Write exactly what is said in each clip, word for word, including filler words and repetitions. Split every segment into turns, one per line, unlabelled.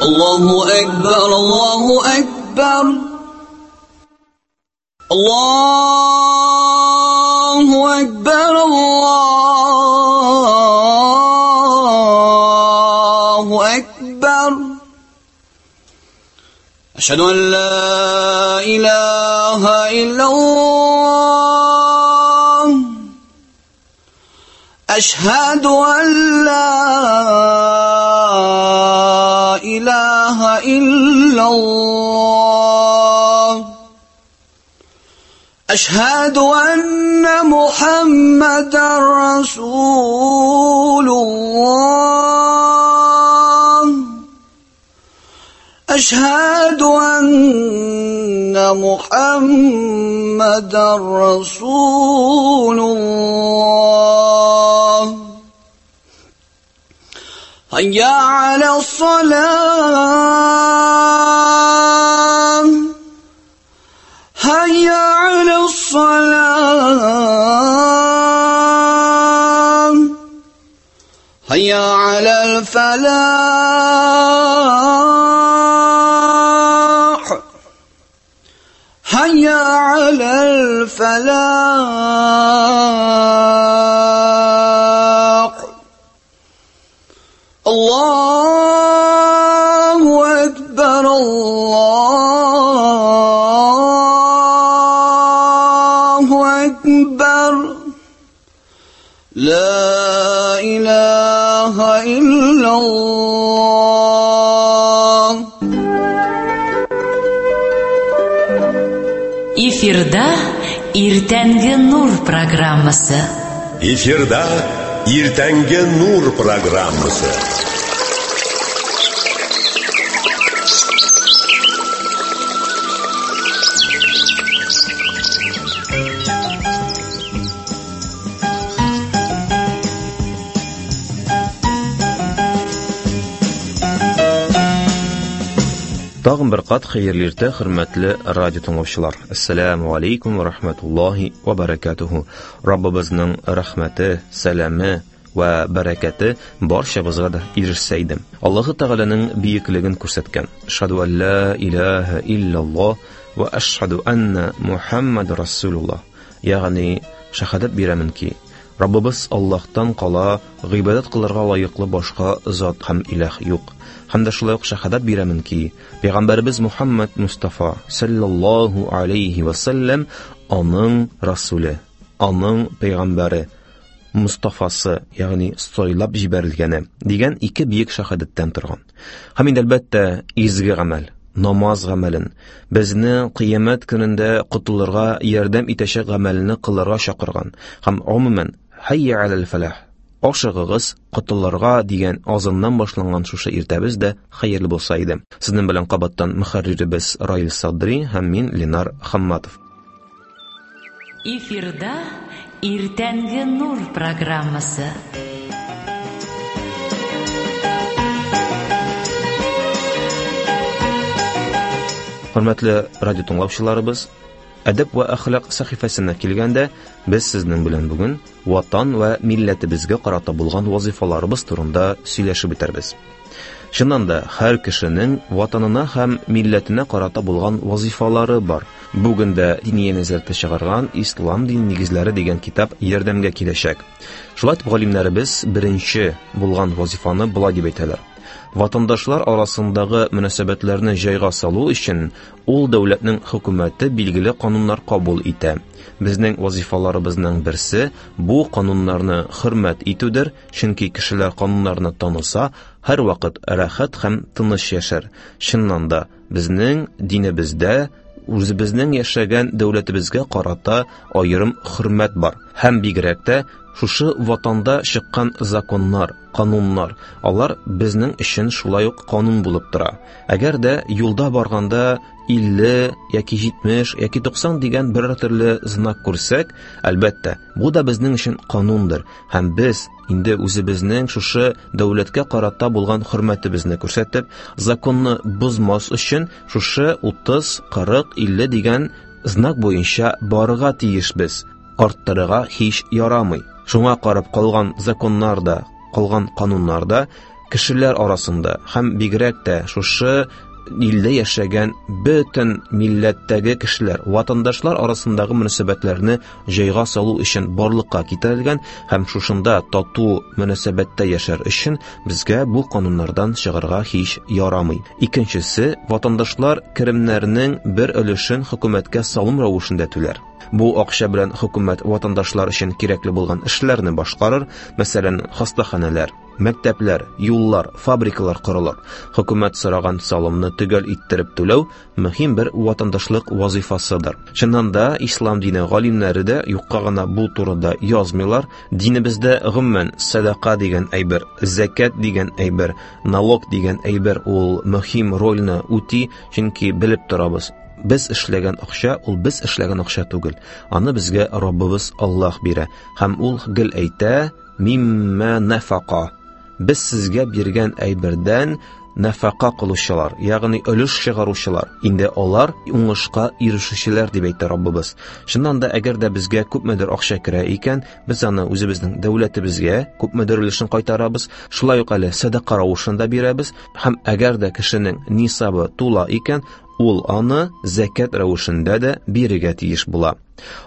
الله أكبر الله أكبر الله أكبر الله أكبر أشهد أن لا إله إلا الله أشهد أن لا إله إلا الله أشهد أن محمدا رسول الله أشهد أن محمدا رسول الله هيا على الصلاة هيا على الصلاة هيا على الفلاح هيا على الفلاح الله أكبر الله أكبر لا إله إلا الله.
Эфирда Иртәнге Нур программасы.
Эфирда Иртәнге Нур программасы.
Тагын бер кат хәерле иртә, хөрмәтле радио тыңлаучылар. Ассаламу алейкум ва рахматуллаһи ва баракатуху. Раббыбызның рәхмәте, сәламе ва бәрәкәте барчабызга да ирешсә иде. Аллаһы Тәгаләнең бөеклеген күрсәткән. Ашһаду ан ла илаһа илляллаһ ва ашһаду анна Мухаммад расулуллаһ. Ягъни шаһадат бирәмен ки, Раббыбыз Аллаһтан кала гыйбадәт кылырга лаеклы башка зат һәм илаһ юк. Һәм дә шулай ук шаһадат бирәмен ки, Пәйгамбәребез Мухаммад Мустафа саллаллаһу алейхи ва саллям аның расуле, аның пәйгамбәре, Мустафасы, ягъни сайлап җибәрелгәне дигән ике бөек шаһадаттан торган. Һәм инде әлбәттә изге гамәл, намаз гамәлен, безне кыямәт көнендә котылырга ярдәм итәчәк гамәлне кылырга чакырган һәм гомумән хайя алал фалах, ашыгыгыз котылырга дигән азаннан башланган шушы иртәбез дә хәерле булса иде. Сезнең белән кабаттан мөхәрриребез Раил Садри һәм мин Ленар Хамматов.
Эфирда Иртәнге Нур программасы.
Хөрмәтле радио тыңлаучыларыбыз, әдәп вә әхлак сәхифәсенә килгәндә, без сезнең белән бүген ватан вә милләтебезгә карата булган вазифаларыбыз турында сөйләшеп үтәрбез. Чыннан да, һәр кешенең ватанына һәм милләтенә карата булган вазифалары бар. Бүген дә Диния нәзарәте чыгарган Ислам дин нигезләре дигән китап ярдәмгә киләчәк. Шулай итеп, галимнәребез беренче булган вазифаны болай дип әйтәләр. Ватандашлар арасындагы мөнәсәбәтләрне җайга салу өчен ул дәүләтнең хөкүмәте билгеле кануннар кабул итә. Безнең вазифаларыбызның берсе бу кануннарны хөрмәт итүдер, чөнки кешеләр кануннарны таныса, һәр вакыт рәхәт һәм тыныч яшәр. Чыннан да, безнең динебездә үзебезнең яшәгән дәүләтебезгә карата аерым хөрмәт бар. Һәм бигрәк тә шушы ватанда чыккан законнар, кануннар, алар безнең өчен шулай ук канун булып тора. Әгәр дә юлда барганда илле яки җитмеш яки туксан дигән бер төрле знак күрсәк, әлбәттә, бу да безнең өчен канундыр. Һәм без инде үзебезнең шушы дәүләткә карата булган хөрмәтебезне күрсәтеп, законны бозмас өчен шушы утыз, кырык, илле дигән знак буенча барырга тиешбез. Арттырырга һич ярамый. Шуңа карап калган законнар да, калган кануннар да кешеләр арасында һәм бигрәк тә шушы илдә яшәгән бөтен милләттәге кешеләр, ватандашлар арасындагы мөнәсәбәтләрне җайга салу өчен барлыкка китерелгән һәм шушында тату мөнәсәбәттә яшәр өчен безгә бу кануннардан чыгарга һич ярамый. Икенчесе, ватандашлар керемнәренең бер өлешен хөкүмәткә салым рәвешендә түләр. Бу акча белән хөкүмәт ватандашлар өчен кирәкле булган эшләрне башкарыр, мәсәлән, хастаханәләр, мәктәпләр, юллар, фабрикалар корылыр. Хөкүмәт сораган салымны төгәл иттереп түләү мөһим бер ватандашлык вазифасыдыр. Чыннан да ислам дине галимнәре дә юкка гына бу турыда язмыйлар. Динебездә гомумән садака дигән әйбер, зәкят дигән әйбер, налог дигән әйбер ул мөһим рольне үти, чөнки белеп торабыз. Без эшләгән акча ул без эшләгән акча түгел. Аны безгә Раббыбыз Аллаһ бирә. Һәм ул гел әйтә: "Мимма нафака". Без сезгә биргән әйбердән нафака кылучылар, ягъни өлеш чыгаручылар, инде алар уңышка ирешүчеләр дип әйтә Раббыбыз. Чыннан да, әгәр дә безгә күпмедер акча керә икән, без аны үзебезнең дәүләтебезгә күпмедер өлешен кайтарабыз, шулай ук әле садака рәвешендә бирәбез. Һәм әгәр дә кешенең нисабы тула икән, ул аны зәкят рәвешендә дә бирергә тиеш була.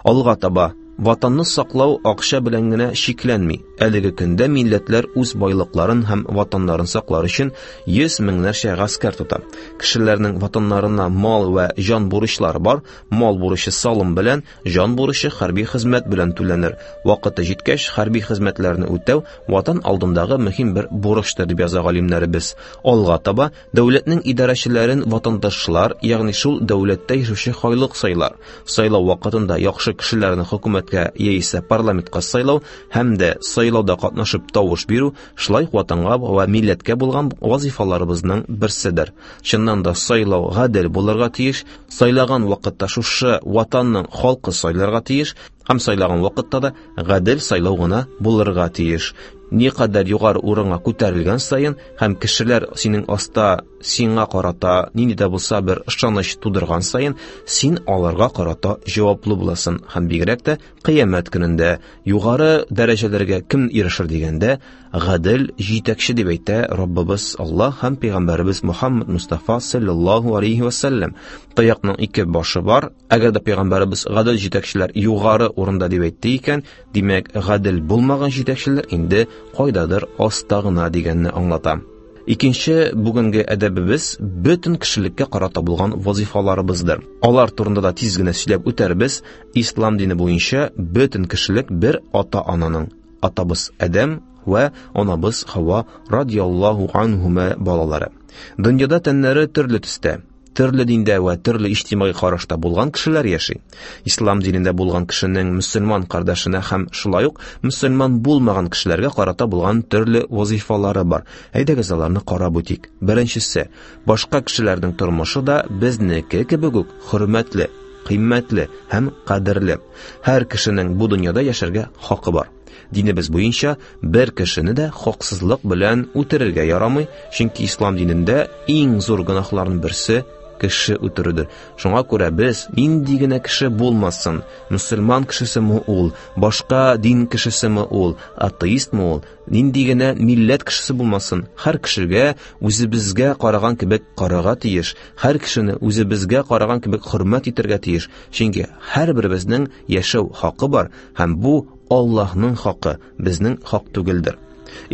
Алга таба ватанны саклау акча белән генә чикләнми. Әлеге көндә милләтләр үз байлыкларын һәм ватаннарын саклар өчен йөз меңнәрчә гаскәр тота. Кешеләрнең ватаннарына мал ва җан бурычлары бар. Мал бурычы салым белән, җан бурычы хәрби хезмәт белән түләнер. Вакыты җиткәч, хәрби хезмәтләрне үтәү ватан алдындагы мөһим бер бурычтыр дип яза галимнәребез. Алга таба дәүләтнең идарәчеләрен ватандашлар, ягъни шул дәүләттә яшәүче халык сайлар. Сайлау вакытында яхшы кешеләрне хөкүмәт яисә парламентка сайлау һәм дә сайлауда катнашып тавыш бирү шулай ук ватанга ва милләткә булган вазифаларыбызның берседер. Чыннан да сайлау гадел булырга тиеш. Сайлаган вакытта шушы ватанның халкы сайларга тиеш һәм сайлаган вакытта да гадел сайлау гына булырга тиеш. Никадәр югары урынга күтәрелгән саен һәм кешеләр синең аста сиңа карата нинди дә булса бер ышаныч тудырган саен, син аларга карата җаваплы буласың һәм бигрәк тә кыямәт көнендә югары дәрәҗәләргә кем ирешер дигәндә, гадел җитәкче дип әйтә Раббыбыз Аллаһ һәм пәйгамбәребез Мухаммад Мустафа саллаллаһу алейхи ва саллям. Таякның ике башы бар. Әгәр дә пәйгамбәребез гадел җитәкчеләр югары урында дип әйтте икән, димәк, гадел булмаган җитәкчеләр инде кайдадыр аста гына дигәнне аңлата. Икенче бүгенге әдәбебез бөтен кешелеккә карата булган вазифаларыбыздыр. Алар турында да тиз генә сөйләп үтәрбез. Ислам дине буенча бөтен кешелек бер ата-ананың, атабыз Адәм ва анабыз Хава радиаллаһу анһума балалары. Дөньяда тәннәре төрле төстә, төрле диндә ва төрле иҗтимагый карашта булган кешеләр яши. Ислам динендә булган кешенең мөселман кардәшенә һәм шулай ук мөселман булмаган кешеләргә карата булган төрле вазифалары бар. Әйдәгез аларны карап үтик. Беренчесе, башка кешеләрнең тормышы да безнеке кебек үк хөрмәтле, кыйммәтле һәм кадерле. Һәр кешенең бу дөньяда яшәргә хакы бар. Динебез буенча бер кешене дә хаксызлык белән үтерергә ярамый, чөнки ислам динендә иң зур гөнаһларның берсе кеше үтерүдер. Шуңа күрә без нинди генә кеше булмасын, мөселман кешесеме ул, башка дин кешесеме ул, атеистмы ул, нинди генә милләт кешесе булмасын, һәр кешегә үзебезгә караган кебек карарга тиеш, һәр кешене үзебезгә караган кебек хөрмәт итәргә тиеш. Чөнки һәрберебезнең яшәү хакы бар һәм бу Аллаһның хакы, безнең хак түгелдер.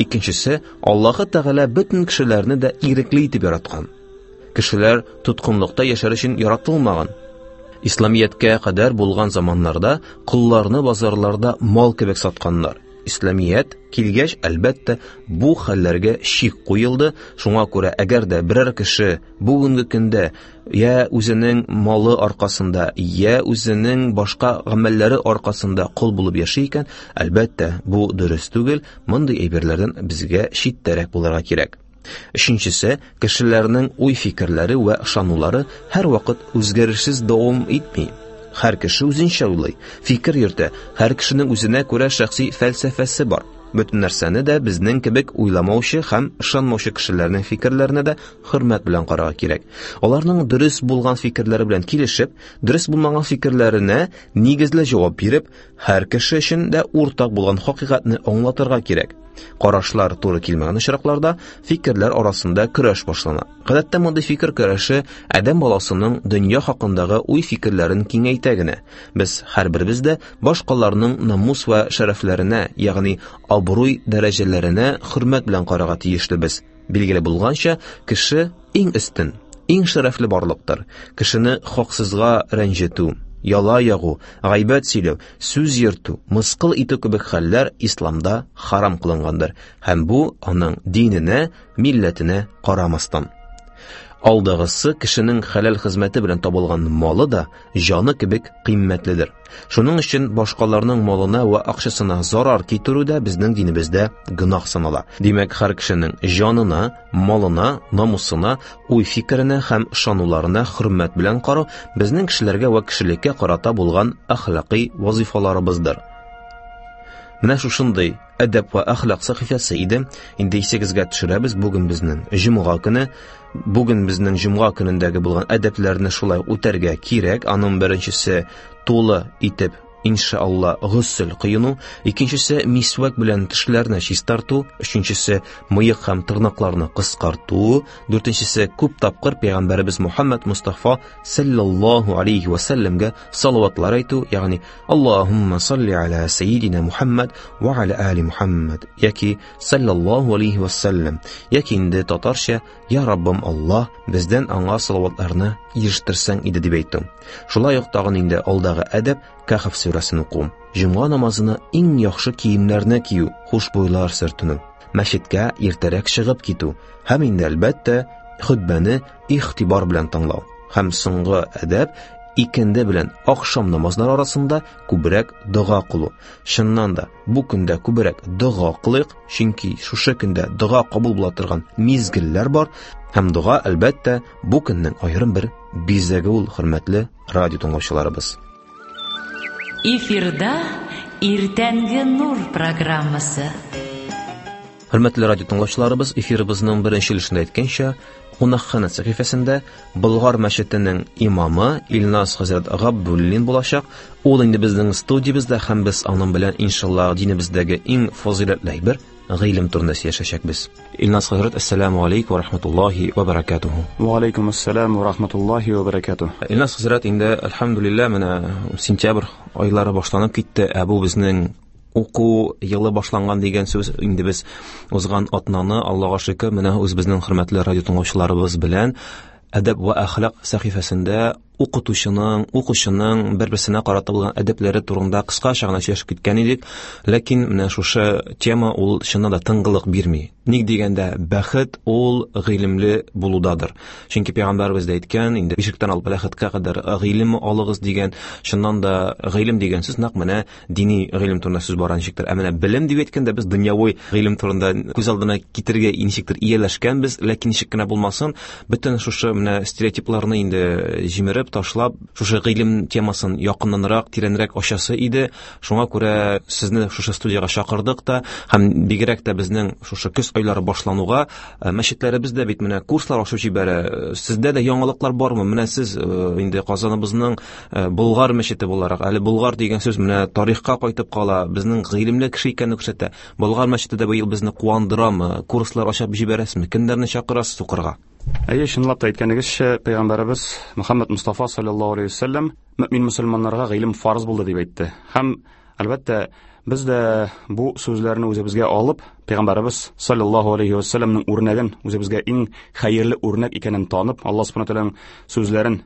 Икенчесе, Аллаһы Тәгалә бөтен кешеләрне дә ирекле итеп яраткан. Кешеләр тоткынлыкта яшәр өчен яратылмаган. Исламияткә кадәр булган заманнарда колларны базарларда мал кебек сатканнар. Исламият килгәч, әлбәттә, бу хәлләргә чик куелды. Шуңа күрә, әгәр дә берәр кеше бүгенге көндә я үзенең малы аркасында, я үзенең башка гамәлләре аркасында кол булып яши икән, әлбәттә, бу дөрес түгел. Мондый әйберләрдән безгә читтәрәк булырга кирәк. Өченчесе, кешеләрнең уй-фикерләре вә ышанулары һәрвакыт үзгәрешсез дәвам итми. Һәр кеше үзенчә уйлый, фикер йөртә, һәр кешенең үзенә күрә шәхси фәлсәфәсе бар. Бөтен нәрсәне дә безнең кебек уйламаучы һәм ышанмаучы кешеләрнең фикерләренә дә хөрмәт белән карарга кирәк. Аларның дөрес булган фикерләре белән килешеп, дөрес булмаган фикерләренә нигезле җавап биреп, һәр кеше өчен дә уртак булган хакыйкатьне аңлатырга кирәк. Карашлар туры килмәгән очракларда фикерләр арасында көрәш башлана. Гадәттә мондый фикер көрәше адәм баласының дөнья хакындагы уй-фикерләрен киңәйтә генә. Без һәрберебез дә башкаларның намус вә шәрәфләренә, ягъни абруй дәрәҗәләренә хөрмәт белән карарга тиешлебез. Билгеле булганча, кеше иң өстен, иң шәрәфле барлыктыр. Кешене хаксызга рәнҗетү, яла ягу, гайбәт сөйләү, сүз йөртү, мыскыл итү кебек хәлләр исламда харам кылынгандыр. Һәм бу аның диненә, милләтенә карамастан. Алдагысы кешенең хәләл хезмәте белән табылган малы да җаны кебек кыйммәтледер. Шуның өчен башкаларның малына ва акчасына зарар китерү дә безнең динебездә гөнаһ санала. Димәк, һәр кешенең җанына, малына, намусына, уй-фикеренә һәм ышануларына хөрмәт белән карау безнең кешеләргә ва кешелеккә карата булган әхлакый вазифаларыбыздыр. Менә шушындый әдәп вә әхлак сәхифәсе иде. Инде исегезгә төшерәбез, бүген безнең җомга көне. Бүген безнең җомга көнендәге булган әдәпләрне шулай үтәргә кирәк. Аның беренчесе тулы итеп иншалла госел кыйну, икенчесе мисвәк белән тешләрне чистарту, өченчесе мыек һәм тырнакларны кыскарту, дүртенчесе күп тапкыр пәйгамбәребез Мухаммад Мустафа саллаллаһу алейхи ва сәлләмгә салаватлар әйтү, ягъни Аллаһумма салли аля саййидина Мухаммад ва аля али Мухаммад яки саллаллаһу алейхи ва сәлләм, яки инде татарча Я Раббым Аллаһ, бездән аңа салаватларны ирештерсәң иде дип әйтү. Шулай ук тагын инде алдагы әдәп Кәһф сүрәсен уку, җомга намазына иң яхшы киемнәрне кию, хушбуйлар сөртенү, мәчеткә иртәрәк чыгып китү һәм инде әлбәттә хөтбәне игътибар белән тыңлау. Һәм соңгы әдәп икенде белән ахшам намазлары арасында күбрәк дога кылу. Чыннан да бу көндә күбрәк дога кылыйк, чөнки шушы көндә дога кабул була торган мизгелләр бар һәм дога әлбәттә бу көннең аерым бер бизәге ул, хөрмәтле радио тыңлаучыларыбыз.
Эфирда Иртәнге нур программасы.
Хөрмәтле радио тыңлаучыларыбыз, эфирыбызның беренче өлешендә әйткәнчә, Кунакхана сәхифәсендә Болгар мәчетенең имамы Илназ хәзрәт Габдуллин булачак. Ул инде безнең студиябездә һәм без аның белән иншалла динебездәге иң фазыйләтле әйбер гыйлем турында сөйләшәчәкбез. Илназ хәзрәт, ассаламу алейкум ва рахматуллаһи ва баракатуху.
Ва алейкум ассалам ва рахматуллаһи ва баракатуху.
Илназ хәзрәт, инде әлхәмдүлилләһ, менә сентябрь айлары башланып китте. Ә бу безнең уку елы башланган дигән сүз. Инде без узган атнаны, Аллаһка шөкер, менә үзебезнең хөрмәтле радио тыңлаучыларыбыз белән әдәп ва әхлак сәхифәсендә укытучының, укучының бер-берсенә карата булган әдәпләре турында кыскача гына сөйләшеп киткән идек. Ләкин менә шушы тема ул чыннан да тынгылык бирми. Ник дигәндә, бәхет ул гыйлемле булудадыр. Чөнки пәйгамбәребез дә әйткән, инде бишектән алып бәхеткә кадәр гыйлем алыгыз дигән. Чыннан да гыйлем дигән сүз нәкъ менә дини гыйлем турында сүз бара ничектер. Ә менә белем дип әйткәндә без дөньяви гыйлем турында күз алдына китерергә ничектер ияләшкәнбез, ләкин ничек кенә булмасын, бөтен шушы менә стереотипларны инде җимереп ташлап, шушы гыйлем темасын якыннанрак, тирәнрәк ачасы иде. Шуңа күрә сезне шушы студиягә чакырдык та, һәм бигрәк тә безнең шушы көз айлары башлануга мәчетләребездә бит менә курслар ачып җибәрә. Сездә дә яңалыклар бармы? Менә сез инде Казаныбызның Болгар мәчете буларак, әле Болгар дигән сүз менә тарихка кайтып кала, безнең гыйлемле кеше икәнне күрсәтә. Болгар мәчете дә быел безне куандырамы? Курслар ачып җибәрәсезме? Кемнәрне чакырасыз укырга?
Әйе, чынлап та әйткәнегезчә, пәйгамбәребез Мөхәммәд Мустафа саллаллаһу алейһи ва сәлләм мөмин мөселманнарга гыйлем фарыз булды дип әйтте. Һәм әлбәттә без дә бу сүзләрне үзебезгә алып, пәйгамбәребез саллаллаһу алейһи ва сәлләмнең үрнәген үзебезгә иң хәерле үрнәк икәнен танып, Аллаһ субхана тәгаләнең сүзләрен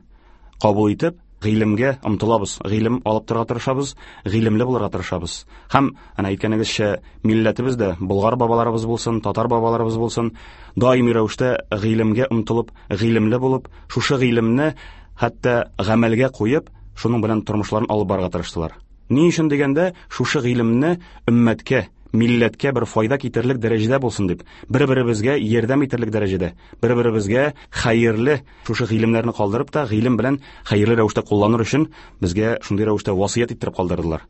кабул итеп, гыйлемгә омтылабыз, гыйлем алып торырга тырышабыз, гыйлемле булырга тырышабыз. Һәм әнә әйткәнегезчә, милләтебез дә, болгар бабаларыбыз булсын, татар бабаларыбыз булсын, даими рәвештә гыйлемгә омтылып, гыйлемле булып, шушы гыйлемне хәтта гамәлгә куеп, шуның белән тормышларын алып барырга тырыштылар. Ни өчен дигәндә, шушы гыйлемне өммәткә, милләткә бер файда китерерлек дәрәҗәдә булсын дип, бер-беребезгә ярдәм итерлек дәрәҗәдә, бер-беребезгә хәерле шушы гыйлемнәрне калдырып та, гыйлем белән хәерле рәвештә кулланыр өчен безгә шундый рәвештә васыять иттереп калдырдылар.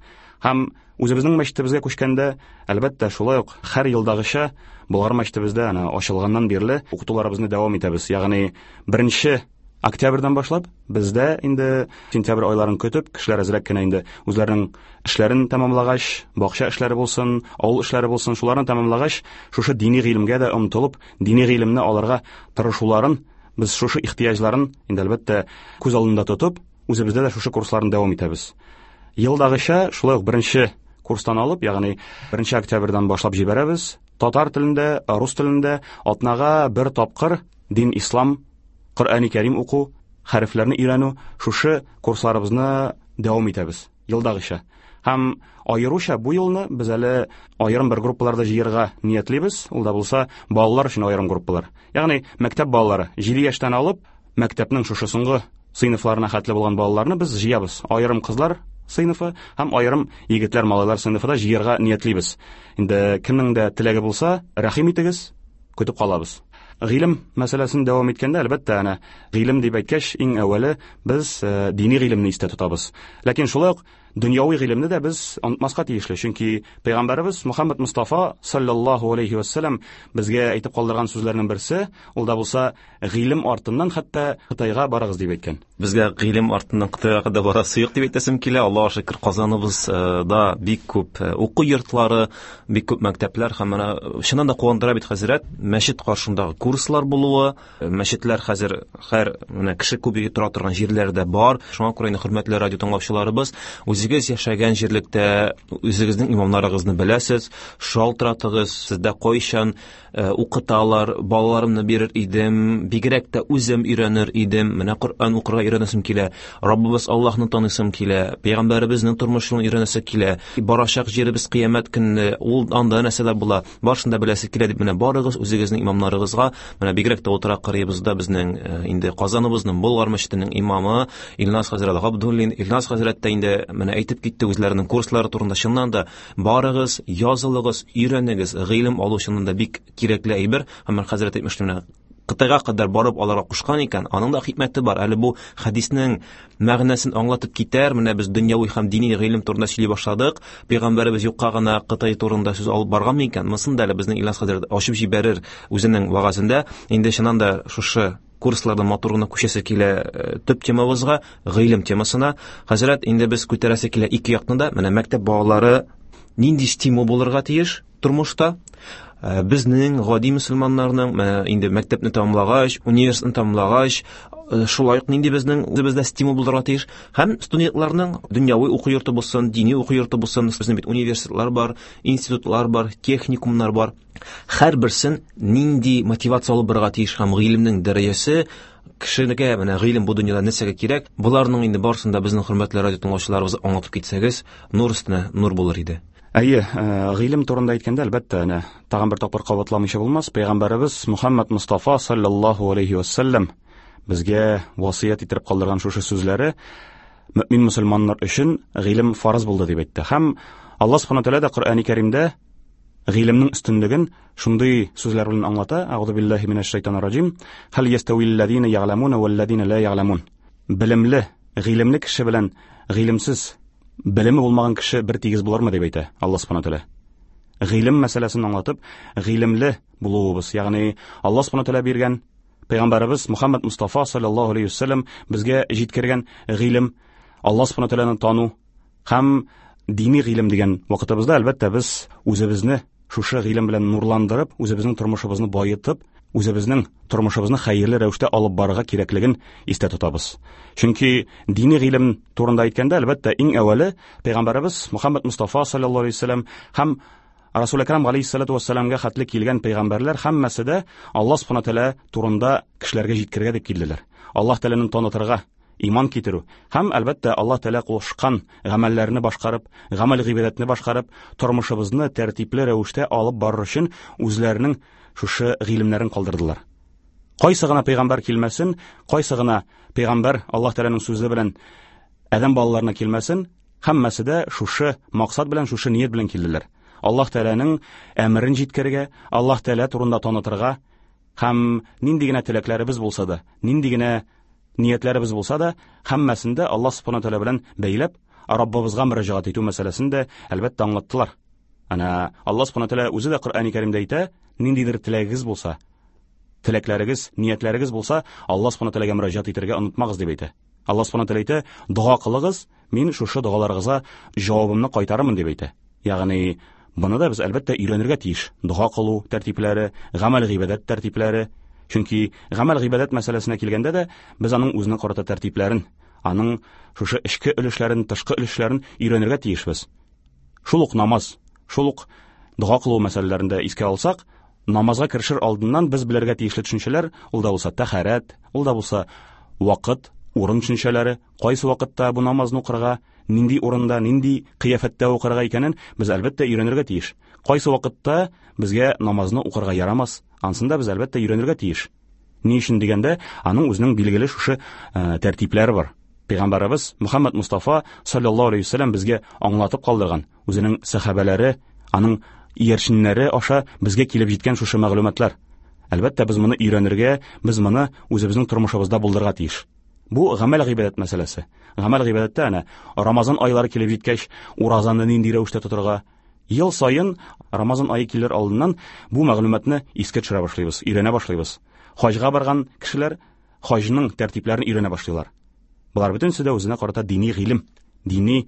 Һәм үзебезнең мәчетебезгә күчкәндә, әлбәттә, шулай ук һәр елдагыча Болгар мәчетебездә әнә ачылганнан бирле укытуларыбызны дәвам итәбез. Ягъни беренче Октябрьдән башлап бездә инде сентябрь айларын көтеп, кешеләр әзрәк кенә инде үзләренең эшләрен тәмамлагач, бакча эшләре булсын, авыл эшләре булсын, шуларны тәмамлагач, шушы дини гыйлемгә дә омтылып, дини гыйлемне алырга тырышуларын, без шушы ихтыяҗларын инде әлбәттә күз алдында тотып, үзебездә дә шушы курсларны дәвам итәбез. Елдагыча шулай ук беренче курстан алып, ягъни беренче октябрьдән башлап җибәрәбез. Татар телендә, рус телендә атнага бер тапкыр дин ислам, Коръәни Кәрим уку, хәрефләрне өйрәнү, шушы курсларыбызны дәвам итәбез елдагыча. Һәм аеруча бу елны без әле аерым бер группаларда җыярга ниятлибез. Ул да булса балалар өчен аерым группалар. Ягъни мәктәп балалары җиде яшьтән алып мәктәпнең шушы соңгы сыйныфларына хәтле булган балаларны без җыябыз. Аерым кызлар сыйныфы һәм аерым егетләр, малайлар сыйныфы да җыярга ниятлибез. Инде кемнең дә теләге булса, рәхим итегез, көтеп калабыз. Гыйлем мәсьәләсен дәвам иткәндә, әлбәттә, әнә гыйлем дип әйткәч, иң әүвәле без дини гыйлемне истә тотабыз. Ләкин шулай ук дөньяви гыйлемне дә без онытмаска тиешле, чөнки пәйгамбәребез Мухаммад Мустафа саллаллаһу алейхи ва саллям безгә әйтеп калдырган сүзләрнең берсе, ул да булса гыйлем артыннан хәтта Кытайга барыгыз дип әйткән.
Безгә гыйлем артыннан Кытайга кадәр барасы юк дип әйтәсем килә. Аллаһуга шөкер, Казаныбызда бик күп уку йортлары, бик күп мәктәпләр һәм менә чыннан да куандыра бит хәзрәт, мәчет каршындагы курслар булуы, мәчетләр хәзер һәр менә кеше күп тора торган җирләрдә бар. Шуңа күрә инде хөрмәтле радио тыңлаучыларыбыз, үзегез яшәгән җирлектә үзегезнең имамнарыгызны беләсез, шалтыратыгыз, сездә кайчан укыталар, балаларымны бирер идем, бигрәк тә үзем өйрәнер идем, менә Коръән укырга өйрәнәсем килә, Раббыбыз Аллаһны таныйсым килә, пәйгамбәребезнең тормыш юлын өйрәнәсе килә, барачак җиребез кыямәт көнне, ул анда нәрсәләр була, барысын да беләсе килә дип менә барыгыз үзегезнең имамнарыгызга. Менә бигрәк тә утыра кырыебызда безнең инде Казаныбызның Болгар мәчетенең имамы Илназ хәзрәт Габдуллин. Илназ хәзрәт тә инде менә әйтеп китте үзләренең курслары турында. Чыннан да барыгыз, язылыгыз, өйрәнегез, гыйлем алу чыннан да бик кирәкле әйбер. Һәм хәзрәт әйтмешли, менә Кытайга кадәр барып аларга кушкан икән, аның да хикмәте бар. Әле бу хәдиснең мәгънәсен аңлатып китәр. Менә без дөньяви һәм дини гыйлем турында сөйли башладык. Пәйгамбәребез юкка гына Кытай турында сүз алып барган микән? Монысын да әле безнең Илназ хәзрәт ачып җибәрер үзенең вәгазендә. Инде чыннан да шушы курсларда матур гына күчәсе килә төп темабызга, гыйлем темасына. Хәзрәт, инде без күтәрәсе килә ике якны да. Менә мәктәп балалары нинди стимул булырга тиеш тормышта? Безнең гади мөселманнарның менә инде мәктәпне тәмамлагач, университетны тәмамлагач, шулай ук нинди безнең үзебездә стимул булырга тиеш? Һәм студентларның дөньяви уку йорты булсын, дини уку йорты булсын, безнең бит университетлар бар, институтлар бар, техникумнар бар. Һәрберсен нинди мотивация алып барырга тиеш һәм гыйлемнең дәрәҗәсе кешегә, менә гыйлем бу дөньяда нәрсәгә кирәк? Буларның инде барысын да безнең хөрмәтле радио тыңлаучыларыбыз аңлатып китсәгез, нур өстенә нур булыр иде.
Әйе, гыйлем турында әйткәндә, әлбәттә, әнә тагын бер тапкыр кабатламыйча булмас. Пәйгамбәребез Мухаммад Мустафа саллаллаһу алейхи ва саллям безгә васыять итеп калдырган шушы сүзләре мөмин мөселманнар өчен гыйлем фарыз булды дип әйтте. Һәм Аллаһ субхана тәгалә дә Коръәни Кәримдә гыйлемнең өстенлеген шундый сүзләр белән аңлата. Әгъузу биллаһи минәш шайтанир раҗим. Хәл ястәвил ләзина ягъламуна вәл ләзина ла ягъламун. Белемле, гыйлемле кеше белән гыйлемсез, белеме булмаган кеше бер тигез булармы дип әйтә Аллаһ субхана тәгалә. Гыйлем мәсьәләсен аңлатып, гыйлемле булуыбыз, ягъни Аллаһ субхана тәгалә биргән, пәйгамбәребез Мухаммад Мустафа саллаллаһу алейхи ва саллям безгә җиткергән гыйлем, Аллаһ субхана тәгаләне тану һәм дини гыйлем дигән вакытыбызда әлбәттә без үзебезне шушы гыйлем белән нурландырып, үзебезнең тормышыбызны баетып, үзебезнең тормышыбызны хәерле рәвештә алып барырга кирәклеген истә тотабыз. Чөнки дини гыйлем турында әйткәндә, әлбәттә, иң әүвәле пәйгамбәребез Мухаммад Мустафа саллаллаһу алейхи ва саллям һәм Расул Әкрам алейхиссалату вассаламга хәтле килгән пәйгамбәрләр һәммәсе дә Аллаһ субхана тәгалә турында кешеләргә җиткерергә дип килделәр. Аллаһ Тәгаләне танытырга, иман китерү һәм әлбәттә Аллаһ Тәгалә кушкан гамәлләрне башкарып, гамәл гыйбадәтне башкарып, тормышыбызны тәртипле рәвештә алып барыр өчен үзләренең шушы гыйлемнәрен калдырдылар. Кайсы гына пәйгамбәр килмәсен, кайсы гына пәйгамбәр Аллаһ Тәгаләнең сүзе белән адәм балаларына килмәсен, һәммәсе дә шушы максат белән, шушы ният белән килделәр. Аллаһ Тәгаләнең әмерен җиткерергә, Аллаһ Тәгалә турында танытырга һәм нинди генә теләкләребез булса да, нинди генә ниятләребез булса да, һәммәсен дә Аллаһ субхана тәгалә белән бәйләп, Раббыбызга мөрәҗәгать итү мәсьәләсен дә әлбәттә аңлаттылар. Ана Аллаһ субхана тәгалә үзе дә Коръәни Кәримдә әйтә, ниндидер теләгегез булса, Теләкләрегез, ниятләрегез булса, Аллаһ субхана тәгаләгә мөрәҗәгать итәргә онытмагыз дип әйтә. Аллаһ субхана тәгалә әйтә, дога кылыгыз, мин шушы догаларыгызга җавабымны кайтарырмын дип әйтә. Ягъни моны да без әлбәттә өйрәнергә тиеш. Дога кылу тәртипләре, гамәл гыйбадәт тәртипләре. Чөнки гамәл гыйбадәт мәсьәләсенә килгәндә дә без аның үзенә карата тәртипләрен, аның шушы эчке өлешләрен, тышкы өлешләрен өйрәнергә тиешбез. Шул ук намаз, шул ук дога кылу мәсьәләләрен дә искә алсак, намазга керешер алдыннан без белергә тиешле төшенчәләр, ул да булса тәһарәт, ул да булса вакыт, урын төшенчәләре, кайсы вакытта бу намазны укырга, нинди урында, нинди кыяфәттә укырга икәнен без әлбәттә өйрәнергә тиеш. Кайсы вакытта безгә намазны укырга ярамас, ансын да без әлбәттә өйрәнергә тиеш. Ни өчен дигәндә, аның үзенең билгеле шушы, э, тәртипләре бар. Пәйгамбәребез Мөхәммәд Мустафа саллаллаһу алейһи ва сәлләм безгә аңлатып калдырган, үзенең сәхабәләре, аның иярченнәре аша безгә килеп җиткән шушы мәгълүматлар. Әлбәттә, без моны өйрәнергә, без моны үзебезнең тормышыбызда булдырырга тиеш. Бу гамәл гыйбадәт мәсьәләсе. Гамәл гыйбадәттә әнә Рамазан айлары килеп җиткәч, уразаны нинди рәвештә тотырга? Ел саен Рамазан ае килер алдыннан бу мәгълүматны искә төшерә башлыйбыз, өйрәнә башлыйбыз. Хаҗга барган кешеләр хаҗның тәртипләрен өйрәнә башлыйлар. Болар бөтенесе дә үзенә карата дини гыйлем, дини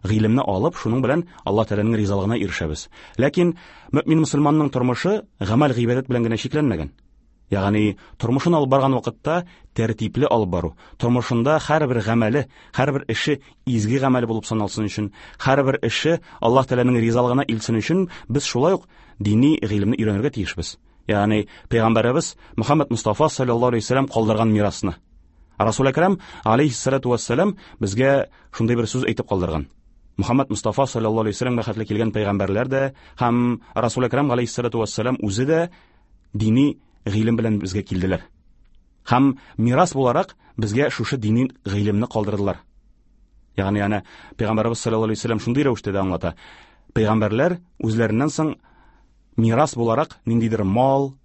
гыйлемне алып, шуның белән Аллаһ Тәгаләнең ризалыгына ирешәбез. Ләкин мөмин мөселманның тормышы гамәл гыйбадәт белән генә чикләнмәгән. Ягъни тормышын алып барган вакытта тәртипле алып бару, тормышында һәрбер гамәле, һәрбер эше изге гамәл булып саналсын өчен, һәрбер эше Аллаһ Тәгаләнең ризалыгына илтсен өчен без шулай ук дини гыйлемне өйрәнергә тиешбез. Ягъни Пәйгамбәребез Мөхәммәд Мустафа саллаллаһу алейһи ва сәлләм калдырган мирасны. Расул Әкрәм алейһиссалату вассалам безгә шундый бер сүз әйтеп калдырган. Мөхәммәд Мустафа саллаллаһу алейһи ва сәлләмгә хәтле килгән пәйгамбәрләр дә һәм Расул Әкрәм алейһиссалату вассалам үзе дә дини гыйлем белән безгә килделәр. Һәм мирас буларак безгә шушы дини гыйлемне калдырдылар. Ягъни әнә Пәйгамбәребез саллаллаһу алейһи ва сәлләм шундый рәвештә дә аңлата. Пәйгамбәрләр үзләреннән соң мирас буларак ниндидер мал,